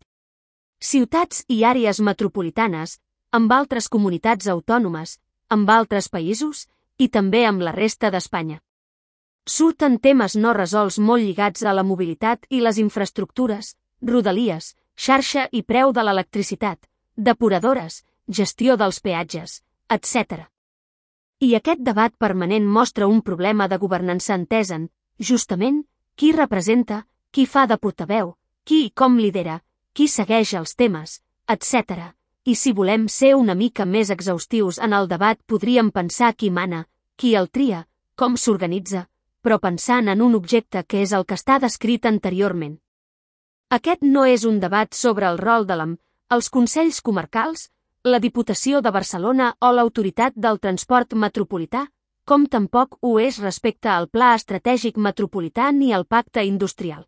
ciutats i àrees metropolitanes, amb altres comunitats autònomes, amb altres països i també amb la resta d'Espanya. Surten temes no resolts molt lligats a la mobilitat i les infraestructures, rodalies, xarxa i preu de l'electricitat, depuradores, gestió dels peatges, etcètera. I aquest debat permanent mostra un problema de governança entesen, justament, qui representa, qui fa de portaveu, qui i com lidera, qui segueix els temes, etcètera. I si volem ser una mica més exhaustius en el debat podríem pensar qui mana, qui el tria, com s'organitza, però pensant en un objecte que és el que està descrit anteriorment. Aquest no és un debat sobre el rol de l'A M, els Consells Comarcals, la Diputació de Barcelona o l'Autoritat del Transport Metropolità, com tampoc ho és respecte al Pla Estratègic Metropolità ni al Pacte Industrial.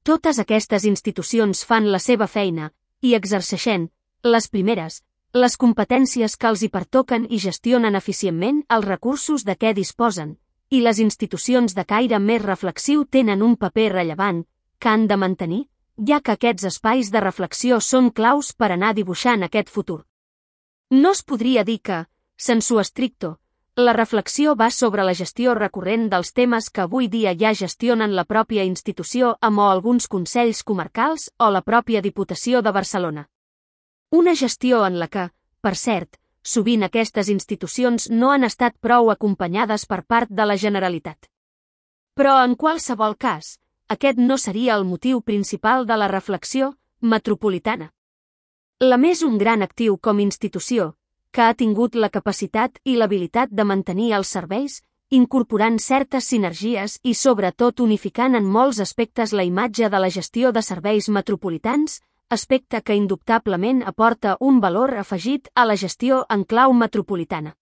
Totes aquestes institucions fan la seva feina i exerceixen, les primeres, les competències que els hi pertoquen i gestionen eficientment els recursos de què disposen, i les institucions de caire més reflexiu tenen un paper rellevant que han de mantenir, ja que aquests espais de reflexió són claus per anar dibuixant aquest futur. No es podria dir que, sensu stricto, la reflexió va sobre la gestió recurrent dels temes que avui dia ja gestionen la pròpia institució amb o alguns consells comarcals o la pròpia Diputació de Barcelona. Una gestió en la que, per cert, sovint aquestes institucions no han estat prou acompanyades per part de la Generalitat. Però en qualsevol cas, aquest no seria el motiu principal de la reflexió metropolitana. La més un gran actiu com institució, que ha tingut la capacitat i l'habilitat de mantenir els serveis, incorporant certes sinergies i sobretot unificant en molts aspectes la imatge de la gestió de serveis metropolitans, aspecte que indubtablement aporta un valor afegit a la gestió en clau metropolitana.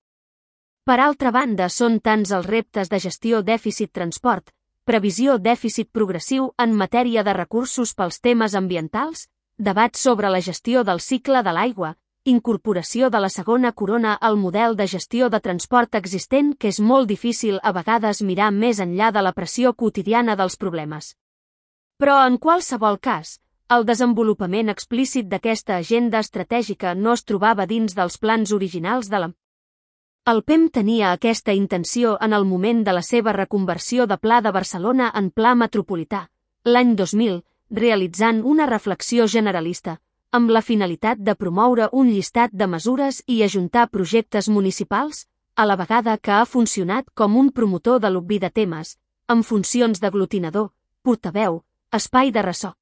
Per altra banda, són tants els reptes de gestió dèficit-transport, previsió dèficit progressiu en matèria de recursos pels temes ambientals, debat sobre la gestió del cicle de l'aigua, incorporació de la segona corona al model de gestió de transport existent que és molt difícil a vegades mirar més enllà de la pressió quotidiana dels problemes. Però en qualsevol cas, el desenvolupament explícit d'aquesta agenda estratègica no es trobava dins dels plans originals de la. El P E M tenia aquesta intenció en el moment de la seva reconversió de Pla de Barcelona en Pla Metropolità, l'any dos mil, realitzant una reflexió generalista, amb la finalitat de promoure un llistat de mesures i ajuntar projectes municipals, a la vegada que ha funcionat com un promotor de l'obvi de temes, amb funcions d'aglutinador, portaveu, espai de ressò.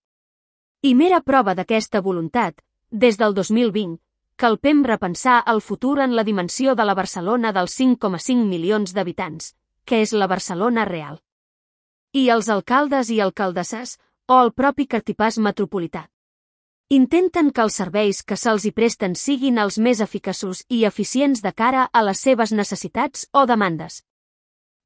I mera prova d'aquesta voluntat, des del dos mil vint, que el P E M repensar el futur en la dimensió de la Barcelona dels cinc coma cinc milions d'habitants, que és la Barcelona real. I els alcaldes i alcaldesses, o el propi cartipàs metropolità, intenten que els serveis que se'ls hi presten siguin els més eficaços i eficients de cara a les seves necessitats o demandes.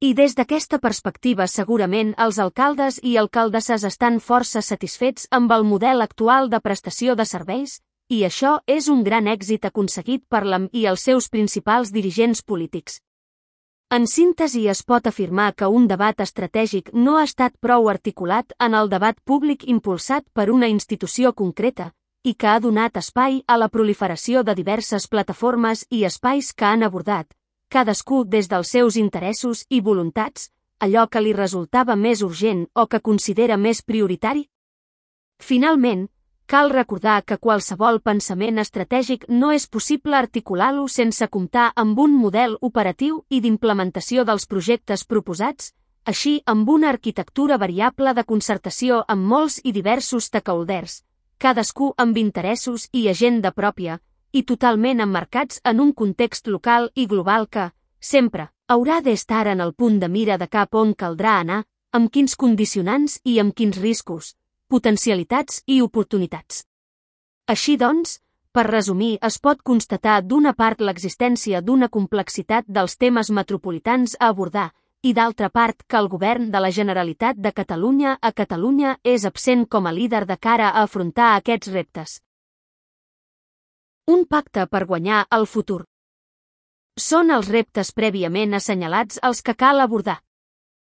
I des d'aquesta perspectiva segurament els alcaldes i alcaldesses estan força satisfets amb el model actual de prestació de serveis, i això és un gran èxit aconseguit per l'A M i els seus principals dirigents polítics. En síntesi es pot afirmar que un debat estratègic no ha estat prou articulat en el debat públic impulsat per una institució concreta i que ha donat espai a la proliferació de diverses plataformes i espais que han abordat, cadascú des dels seus interessos i voluntats, allò que li resultava més urgent o que considera més prioritari. Finalment, cal recordar que qualsevol pensament estratègic no és possible articular-lo sense comptar amb un model operatiu i d'implementació dels projectes proposats, així amb una arquitectura variable de concertació amb molts i diversos stakeholders, cadascú amb interessos i agenda pròpia, i totalment emmarcats en un context local i global que, sempre, haurà d'estar en el punt de mira de cap on caldrà anar, amb quins condicionants i amb quins riscos, potencialitats i oportunitats. Així doncs, per resumir, es pot constatar d'una part l'existència d'una complexitat dels temes metropolitans a abordar i d'altra part que el govern de la Generalitat de Catalunya a Catalunya és absent com a líder de cara a afrontar aquests reptes. Un pacte per guanyar el futur. Són els reptes prèviament assenyalats els que cal abordar.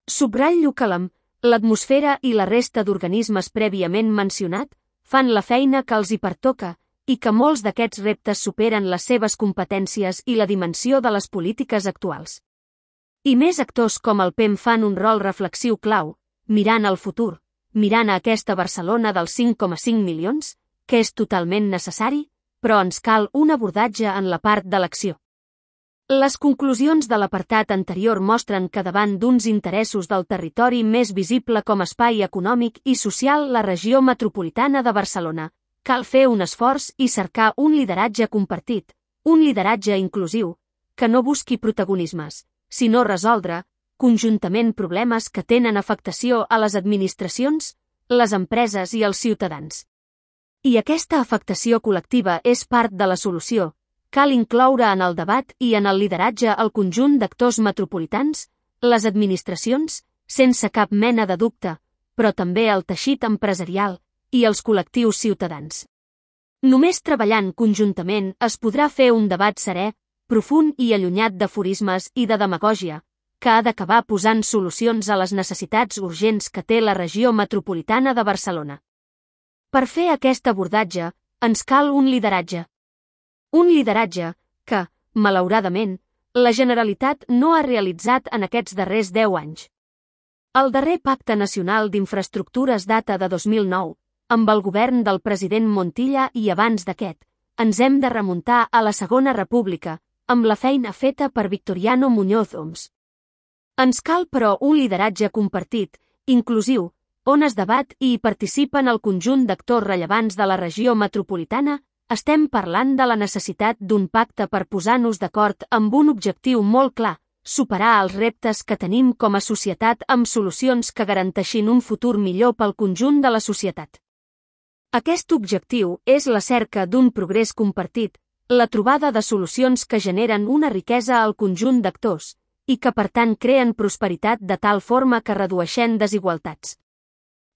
Subratllo que l'A M, l'atmosfera i la resta d'organismes prèviament mencionat fan la feina que els hi pertoca i que molts d'aquests reptes superen les seves competències i la dimensió de les polítiques actuals. I més actors com el P E M fan un rol reflexiu clau, mirant al futur, mirant a aquesta Barcelona dels cinc coma cinc milions, que és totalment necessari, però ens cal un abordatge en la part de l'acció. Les conclusions de l'apartat anterior mostren que davant d'uns interessos del territori més visible com a espai econòmic i social la regió metropolitana de Barcelona, cal fer un esforç i cercar un lideratge compartit, un lideratge inclusiu, que no busqui protagonismes, sinó resoldre, conjuntament problemes que tenen afectació a les administracions, les empreses i els ciutadans. I aquesta afectació col·lectiva és part de la solució. Cal incloure en el debat i en el lideratge el conjunt d'actors metropolitans, les administracions, sense cap mena de dubte, però també el teixit empresarial i els col·lectius ciutadans. Només treballant conjuntament es podrà fer un debat serè, profund i allunyat d'aforismes i de demagògia, que ha d'acabar posant solucions a les necessitats urgents que té la regió metropolitana de Barcelona. Per fer aquest abordatge, ens cal un lideratge. Un lideratge que, malauradament, la Generalitat no ha realitzat en aquests darrers deu anys. El darrer Pacte Nacional d'Infraestructures data de dos mil nou, amb el govern del president Montilla i abans d'aquest, ens hem de remuntar a la Segona República, amb la feina feta per Victoriano Muñoz Oms. Ens cal, però, un lideratge compartit, inclusiu, on es debat i hi participen el conjunt d'actors rellevants de la regió metropolitana. Estem parlant de la necessitat d'un pacte per posar-nos d'acord amb un objectiu molt clar, superar els reptes que tenim com a societat amb solucions que garanteixin un futur millor pel conjunt de la societat. Aquest objectiu és la cerca d'un progrés compartit, la trobada de solucions que generen una riquesa al conjunt d'actors i que per tant creen prosperitat de tal forma que redueixen desigualtats.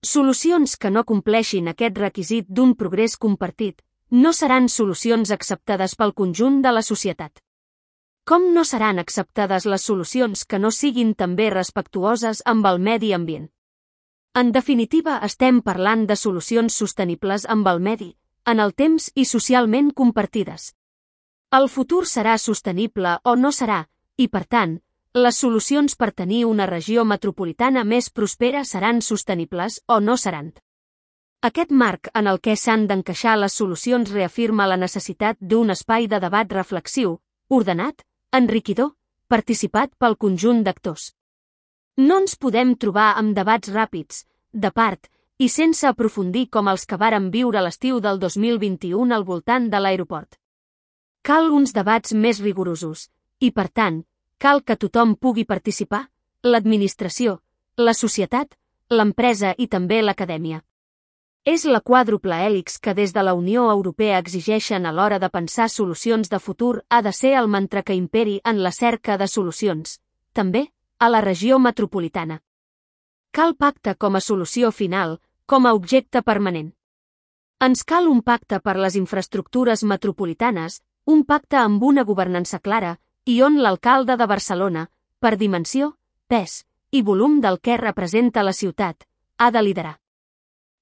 Solucions que no compleixin aquest requisit d'un progrés compartit no seran solucions acceptades pel conjunt de la societat. Com no seran acceptades les solucions que no siguin també respectuoses amb el medi ambient? En definitiva, estem parlant de solucions sostenibles amb el medi, en el temps i socialment compartides. El futur serà sostenible o no serà, i per tant, les solucions per tenir una regió metropolitana més prospera seran sostenibles o no seran. Aquest marc en el què s'han d'encaixar les solucions reafirma la necessitat d'un espai de debat reflexiu, ordenat, enriquidor, participat pel conjunt d'actors. No ens podem trobar amb debats ràpids, de part, i sense aprofundir com els que vàrem viure l'estiu del dos mil vint-i-u al voltant de l'aeroport. Cal uns debats més rigorosos, i per tant, cal que tothom pugui participar, l'administració, la societat, l'empresa i també l'acadèmia. És la quàdruple hèlix que des de la Unió Europea exigeixen a l'hora de pensar solucions de futur ha de ser el mantra que imperi en la cerca de solucions, també, a la regió metropolitana. Cal pacte com a solució final, com a objecte permanent. Ens cal un pacte per les infraestructures metropolitanes, un pacte amb una governança clara, i on l'alcalde de Barcelona, per dimensió, pes i volum del que representa la ciutat, ha de liderar.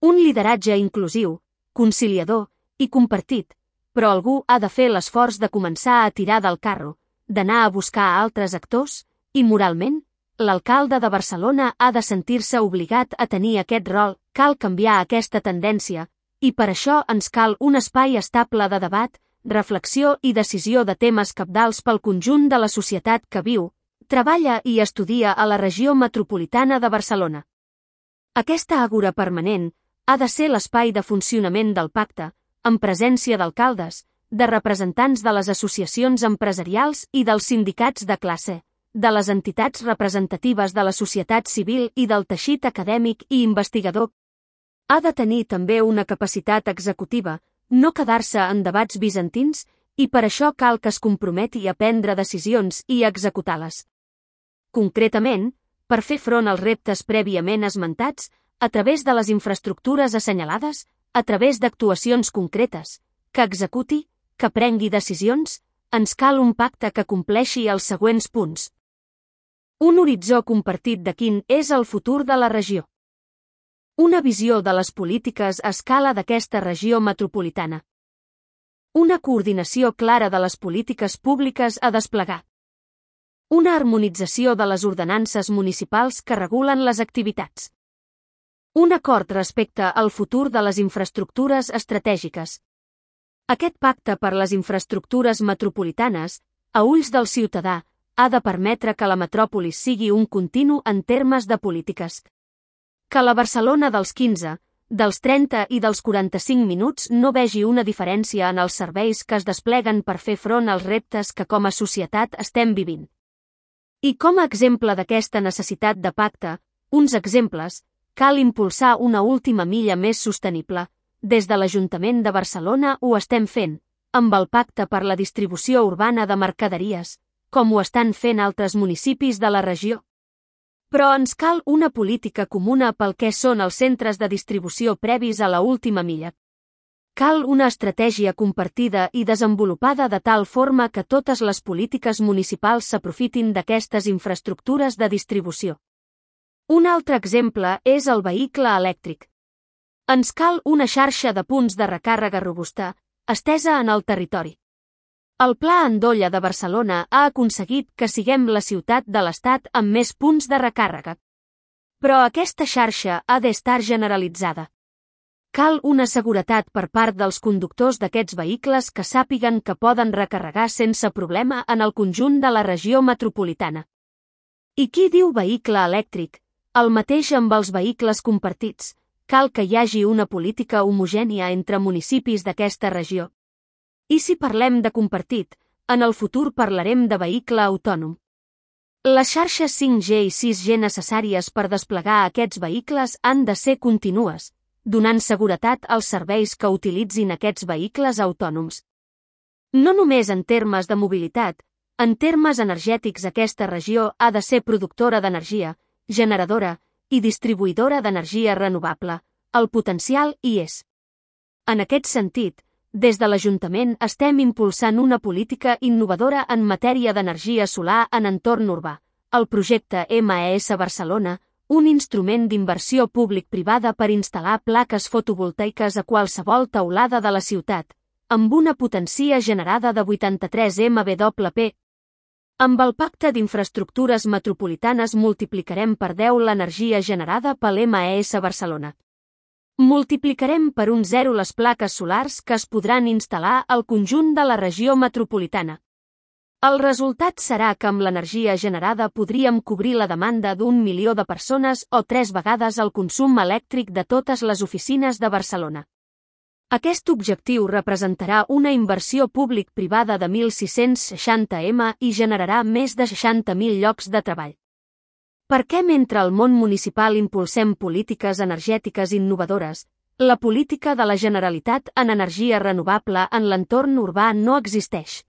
Un lideratge inclusiu, conciliador i compartit, però algú ha de fer l'esforç de començar a tirar del carro, d'anar a buscar altres actors, i moralment, l'alcalde de Barcelona ha de sentir-se obligat a tenir aquest rol. Cal canviar aquesta tendència, i per això ens cal un espai estable de debat, reflexió i decisió de temes cabdals pel conjunt de la societat que viu, treballa i estudia a la regió metropolitana de Barcelona. Aquesta àgora permanent ha de ser l'espai de funcionament del pacte, en presència d'alcaldes, de representants de les associacions empresarials i dels sindicats de classe, de les entitats representatives de la societat civil i del teixit acadèmic i investigador. Ha de tenir també una capacitat executiva, no quedar-se en debats bizantins, i per això cal que es comprometi a prendre decisions i a executar-les. Concretament, per fer front als reptes prèviament esmentats, a través de les infraestructures assenyalades, a través d'actuacions concretes, que executi, que prengui decisions, ens cal un pacte que compleixi els següents punts. Un horitzó compartit de quin és el futur de la regió. Una visió de les polítiques a escala d'aquesta regió metropolitana. Una coordinació clara de les polítiques públiques a desplegar. Una harmonització de les ordenances municipals que regulen les activitats. Un acord respecte al futur de les infraestructures estratègiques. Aquest pacte per les infraestructures metropolitanes, a ulls del ciutadà, ha de permetre que la metròpolis sigui un continu en termes de polítiques. Que la Barcelona dels quinze, dels trenta i dels quaranta-cinc minuts no vegi una diferència en els serveis que es despleguen per fer front als reptes que com a societat estem vivint. I com a exemple d'aquesta necessitat de pacte, uns exemples, cal impulsar una última milla més sostenible. Des de l'Ajuntament de Barcelona ho estem fent, amb el Pacte per la Distribució Urbana de Mercaderies, com ho estan fent altres municipis de la regió. Però ens cal una política comuna pel que són els centres de distribució previs a la última milla. Cal una estratègia compartida i desenvolupada de tal forma que totes les polítiques municipals s'aprofitin d'aquestes infraestructures de distribució. Un altre exemple és el vehicle elèctric. Ens cal una xarxa de punts de recàrrega robusta, estesa en el territori. El Pla Andolla de Barcelona ha aconseguit que siguem la ciutat de l'Estat amb més punts de recàrrega. Però aquesta xarxa ha d'estar generalitzada. Cal una seguretat per part dels conductors d'aquests vehicles que sàpiguen que poden recarregar sense problema en el conjunt de la regió metropolitana. I qui diu vehicle elèctric? El mateix amb els vehicles compartits. Cal que hi hagi una política homogènia entre municipis d'aquesta regió. I si parlem de compartit, en el futur parlarem de vehicle autònom. Les xarxes cinc G i sis G necessàries per desplegar aquests vehicles han de ser contínues, donant seguretat als serveis que utilitzin aquests vehicles autònoms. No només en termes de mobilitat, en termes energètics aquesta regió ha de ser productora d'energia, generadora i distribuïdora d'energia renovable. El potencial hi és. En aquest sentit, des de l'Ajuntament estem impulsant una política innovadora en matèria d'energia solar en entorn urbà, el projecte M E S Barcelona, un instrument d'inversió públic-privada per instal·lar plaques fotovoltaiques a qualsevol teulada de la ciutat, amb una potència generada de vuitanta-tres megawatt. Amb el Pacte d'Infraestructures Metropolitanes multiplicarem per deu l'energia generada pel M E S Barcelona. Multiplicarem per un zero les plaques solars que es podran instal·lar al conjunt de la regió metropolitana. El resultat serà que amb l'energia generada podríem cobrir la demanda d'un milió de persones o tres vegades el consum elèctric de totes les oficines de Barcelona. Aquest objectiu representarà una inversió públic-privada de mil sis-cents seixanta milions i generarà més de seixanta mil llocs de treball. Per què mentre al món municipal impulsem polítiques energètiques innovadores, la política de la Generalitat en energia renovable en l'entorn urbà no existeix?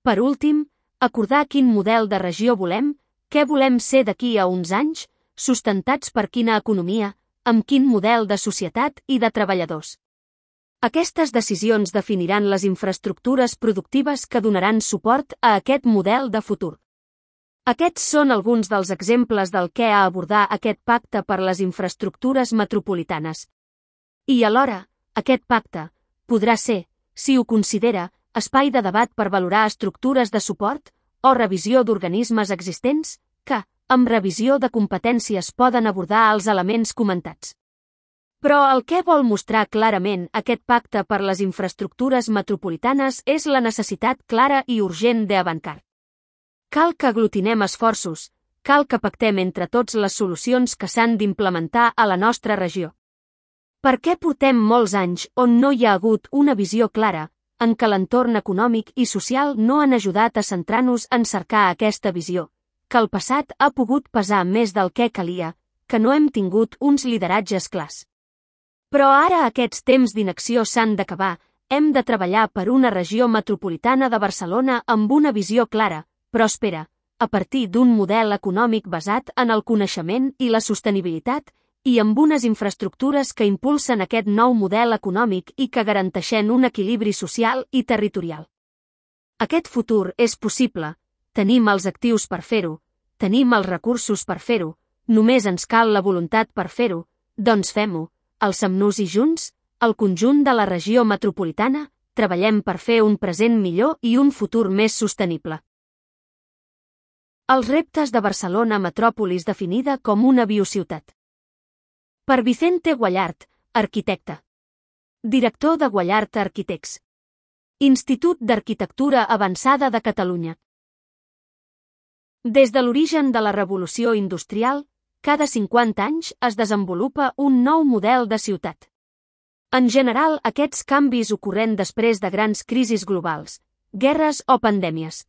Per últim, acordar quin model de regió volem, què volem ser d'aquí a uns anys, sustentats per quina economia, amb quin model de societat i de treballadors. Aquestes decisions definiran les infraestructures productives que donaran suport a aquest model de futur. Aquests són alguns dels exemples del que ha abordar aquest pacte per les infraestructures metropolitanes. I alhora, aquest pacte podrà ser, si ho considera, espai de debat per valorar estructures de suport o revisió d'organismes existents que, amb revisió de competències poden abordar els elements comentats. Però el que vol mostrar clarament aquest pacte per les infraestructures metropolitanes és la necessitat clara i urgent d'avançar. Cal que aglutinem esforços, cal que pactem entre tots les solucions que s'han d'implementar a la nostra regió. Per què portem molts anys on no hi ha hagut una visió clara, en què l'entorn econòmic i social no han ajudat a centrar-nos en cercar aquesta visió, que el passat ha pogut pesar més del que calia, que no hem tingut uns lideratges clars. Però ara aquests temps d'inacció s'han d'acabar, hem de treballar per una regió metropolitana de Barcelona amb una visió clara, pròspera, a partir d'un model econòmic basat en el coneixement i la sostenibilitat i amb unes infraestructures que impulsen aquest nou model econòmic i que garanteixen un equilibri social i territorial. Aquest futur és possible, tenim els actius per fer-ho, tenim els recursos per fer-ho, només ens cal la voluntat per fer-ho, doncs fem-ho, alcem-nos i junts, el conjunt de la regió metropolitana, treballem per fer un present millor i un futur més sostenible. Els reptes de Barcelona metròpolis definida com una biociutat. Per Vicente Guallart, arquitecte. Director de Guallart Arquitects. Institut d'Arquitectura Avançada de Catalunya. Des de l'origen de la revolució industrial, cada cinquanta anys es desenvolupa un nou model de ciutat. En general, aquests canvis ocorren després de grans crisis globals, guerres o pandèmies.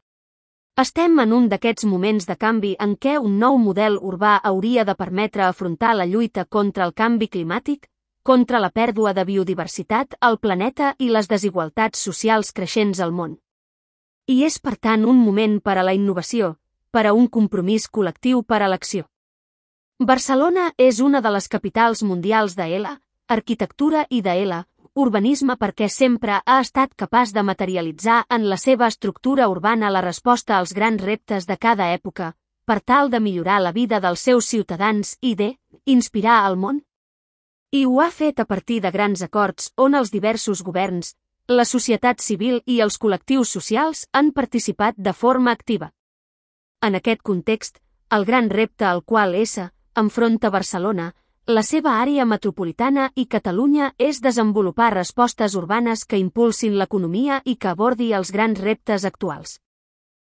Estem en un d'aquests moments de canvi en què un nou model urbà hauria de permetre afrontar la lluita contra el canvi climàtic, contra la pèrdua de biodiversitat al planeta i les desigualtats socials creixents al món. I és per tant un moment per a la innovació, per a un compromís col·lectiu per a l'acció. Barcelona és una de les capitals mundials de L, arquitectura i de L, urbanisme perquè sempre ha estat capaç de materialitzar en la seva estructura urbana la resposta als grans reptes de cada època, per tal de millorar la vida dels seus ciutadans i de inspirar al món. I ho ha fet a partir de grans acords on els diversos governs, la societat civil i els col·lectius socials han participat de forma activa. En aquest context, el gran repte al qual S enfronta Barcelona, la seva àrea metropolitana i Catalunya és desenvolupar respostes urbanes que impulsin l'economia i que abordi els grans reptes actuals.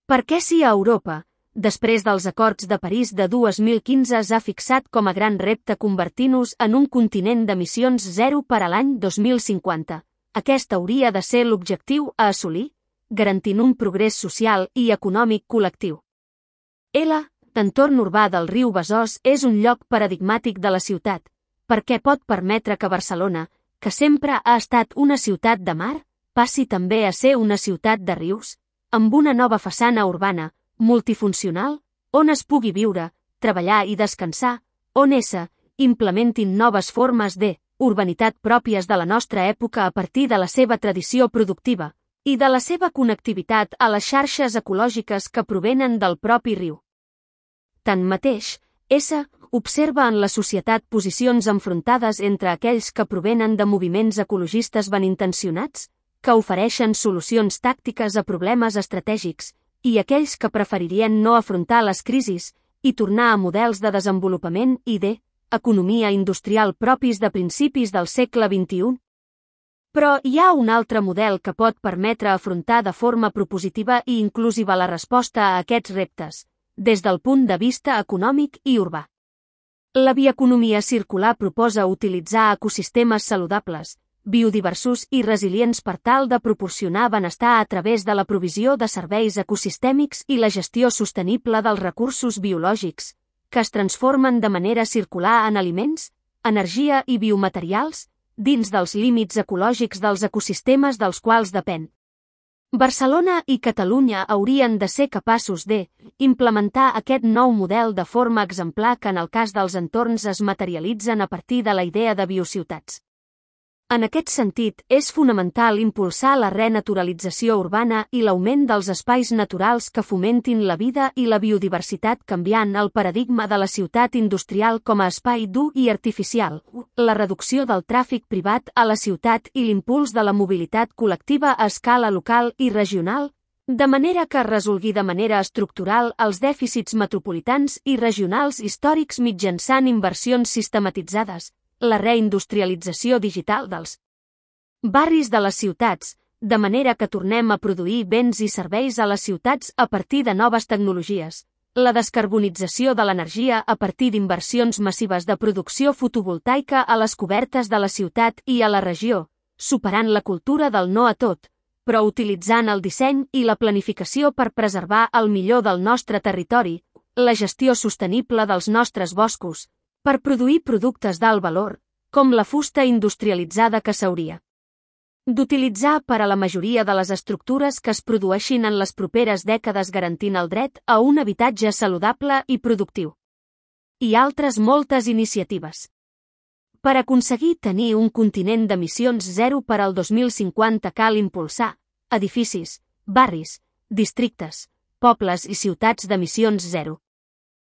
Per què si a Europa, després dels acords de París de dos mil quinze s'ha fixat com a gran repte convertir-nos en un continent d'emissions zero per a l'any dos mil cinquanta, aquest hauria de ser l'objectiu a assolir, garantint un progrés social i econòmic col·lectiu. L, l'entorn urbà del riu Besòs és un lloc paradigmàtic de la ciutat, perquè pot permetre que Barcelona, que sempre ha estat una ciutat de mar, passi també a ser una ciutat de rius, amb una nova façana urbana, multifuncional, on es pugui viure, treballar i descansar, on S implementin noves formes de urbanitat pròpies de la nostra època a partir de la seva tradició productiva i de la seva connectivitat a les xarxes ecològiques que provenen del propi riu. Tanmateix, S observa en la societat posicions enfrontades entre aquells que provenen de moviments ecologistes benintencionats, que ofereixen solucions tàctiques a problemes estratègics, i aquells que preferirien no afrontar les crisis i tornar a models de desenvolupament i de economia industrial propis de principis del segle vint-i-u. Però hi ha un altre model que pot permetre afrontar de forma propositiva i inclusiva la resposta a aquests reptes, des del punt de vista econòmic i urbà. La bioeconomia circular proposa utilitzar ecosistemes saludables, biodiversos i resilients per tal de proporcionar benestar a través de la provisió de serveis ecosistèmics i la gestió sostenible dels recursos biològics, que es transformen de manera circular en aliments, energia i biomaterials, dins dels límits ecològics dels ecosistemes dels quals depèn. Barcelona i Catalunya haurien de ser capaços de implementar aquest nou model de forma exemplar que en el cas dels entorns es materialitzen a partir de la idea de biociutats. En aquest sentit, és fonamental impulsar la renaturalització urbana i l'augment dels espais naturals que fomentin la vida i la biodiversitat canviant el paradigma de la ciutat industrial com a espai dur i artificial, la reducció del tràfic privat a la ciutat i l'impuls de la mobilitat col·lectiva a escala local i regional, de manera que es resolgui de manera estructural els dèficits metropolitans i regionals històrics mitjançant inversions sistematitzades, la reindustrialització digital dels barris de les ciutats, de manera que tornem a produir béns i serveis a les ciutats a partir de noves tecnologies, la descarbonització de l'energia a partir d'inversions massives de producció fotovoltaica a les cobertes de la ciutat i a la regió, superant la cultura del no a tot, però utilitzant el disseny i la planificació per preservar el millor del nostre territori, la gestió sostenible dels nostres boscos, per produir productes d'alt valor, com la fusta industrialitzada que s'hauria d'utilitzar per a la majoria de les estructures que es produeixin en les properes dècades garantint el dret a un habitatge saludable i productiu. I altres moltes iniciatives. Per aconseguir tenir un continent d'emissions zero per al dos mil cinquanta cal impulsar edificis, barris, districtes, pobles i ciutats d'emissions zero.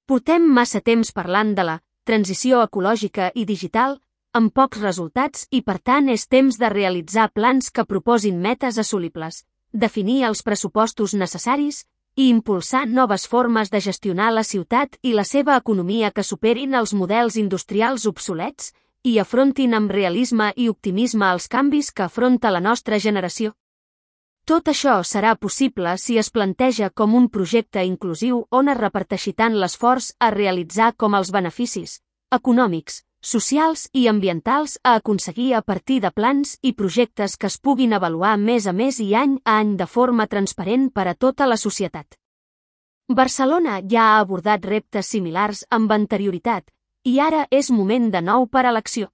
Portem massa temps parlant de la transició ecològica i digital, amb pocs resultats i per tant és temps de realitzar plans que proposin metes assolibles, definir els pressupostos necessaris i impulsar noves formes de gestionar la ciutat i la seva economia que superin els models industrials obsolets i afrontin amb realisme i optimisme els canvis que afronta la nostra generació. Tot això serà possible si es planteja com un projecte inclusiu on es reparteixi tant l'esforç a realitzar com els beneficis econòmics, socials i ambientals a aconseguir a partir de plans i projectes que es puguin avaluar mes a mes i any a any de forma transparent per a tota la societat. Barcelona ja ha abordat reptes similars amb anterioritat i ara és moment de nou per a l'acció.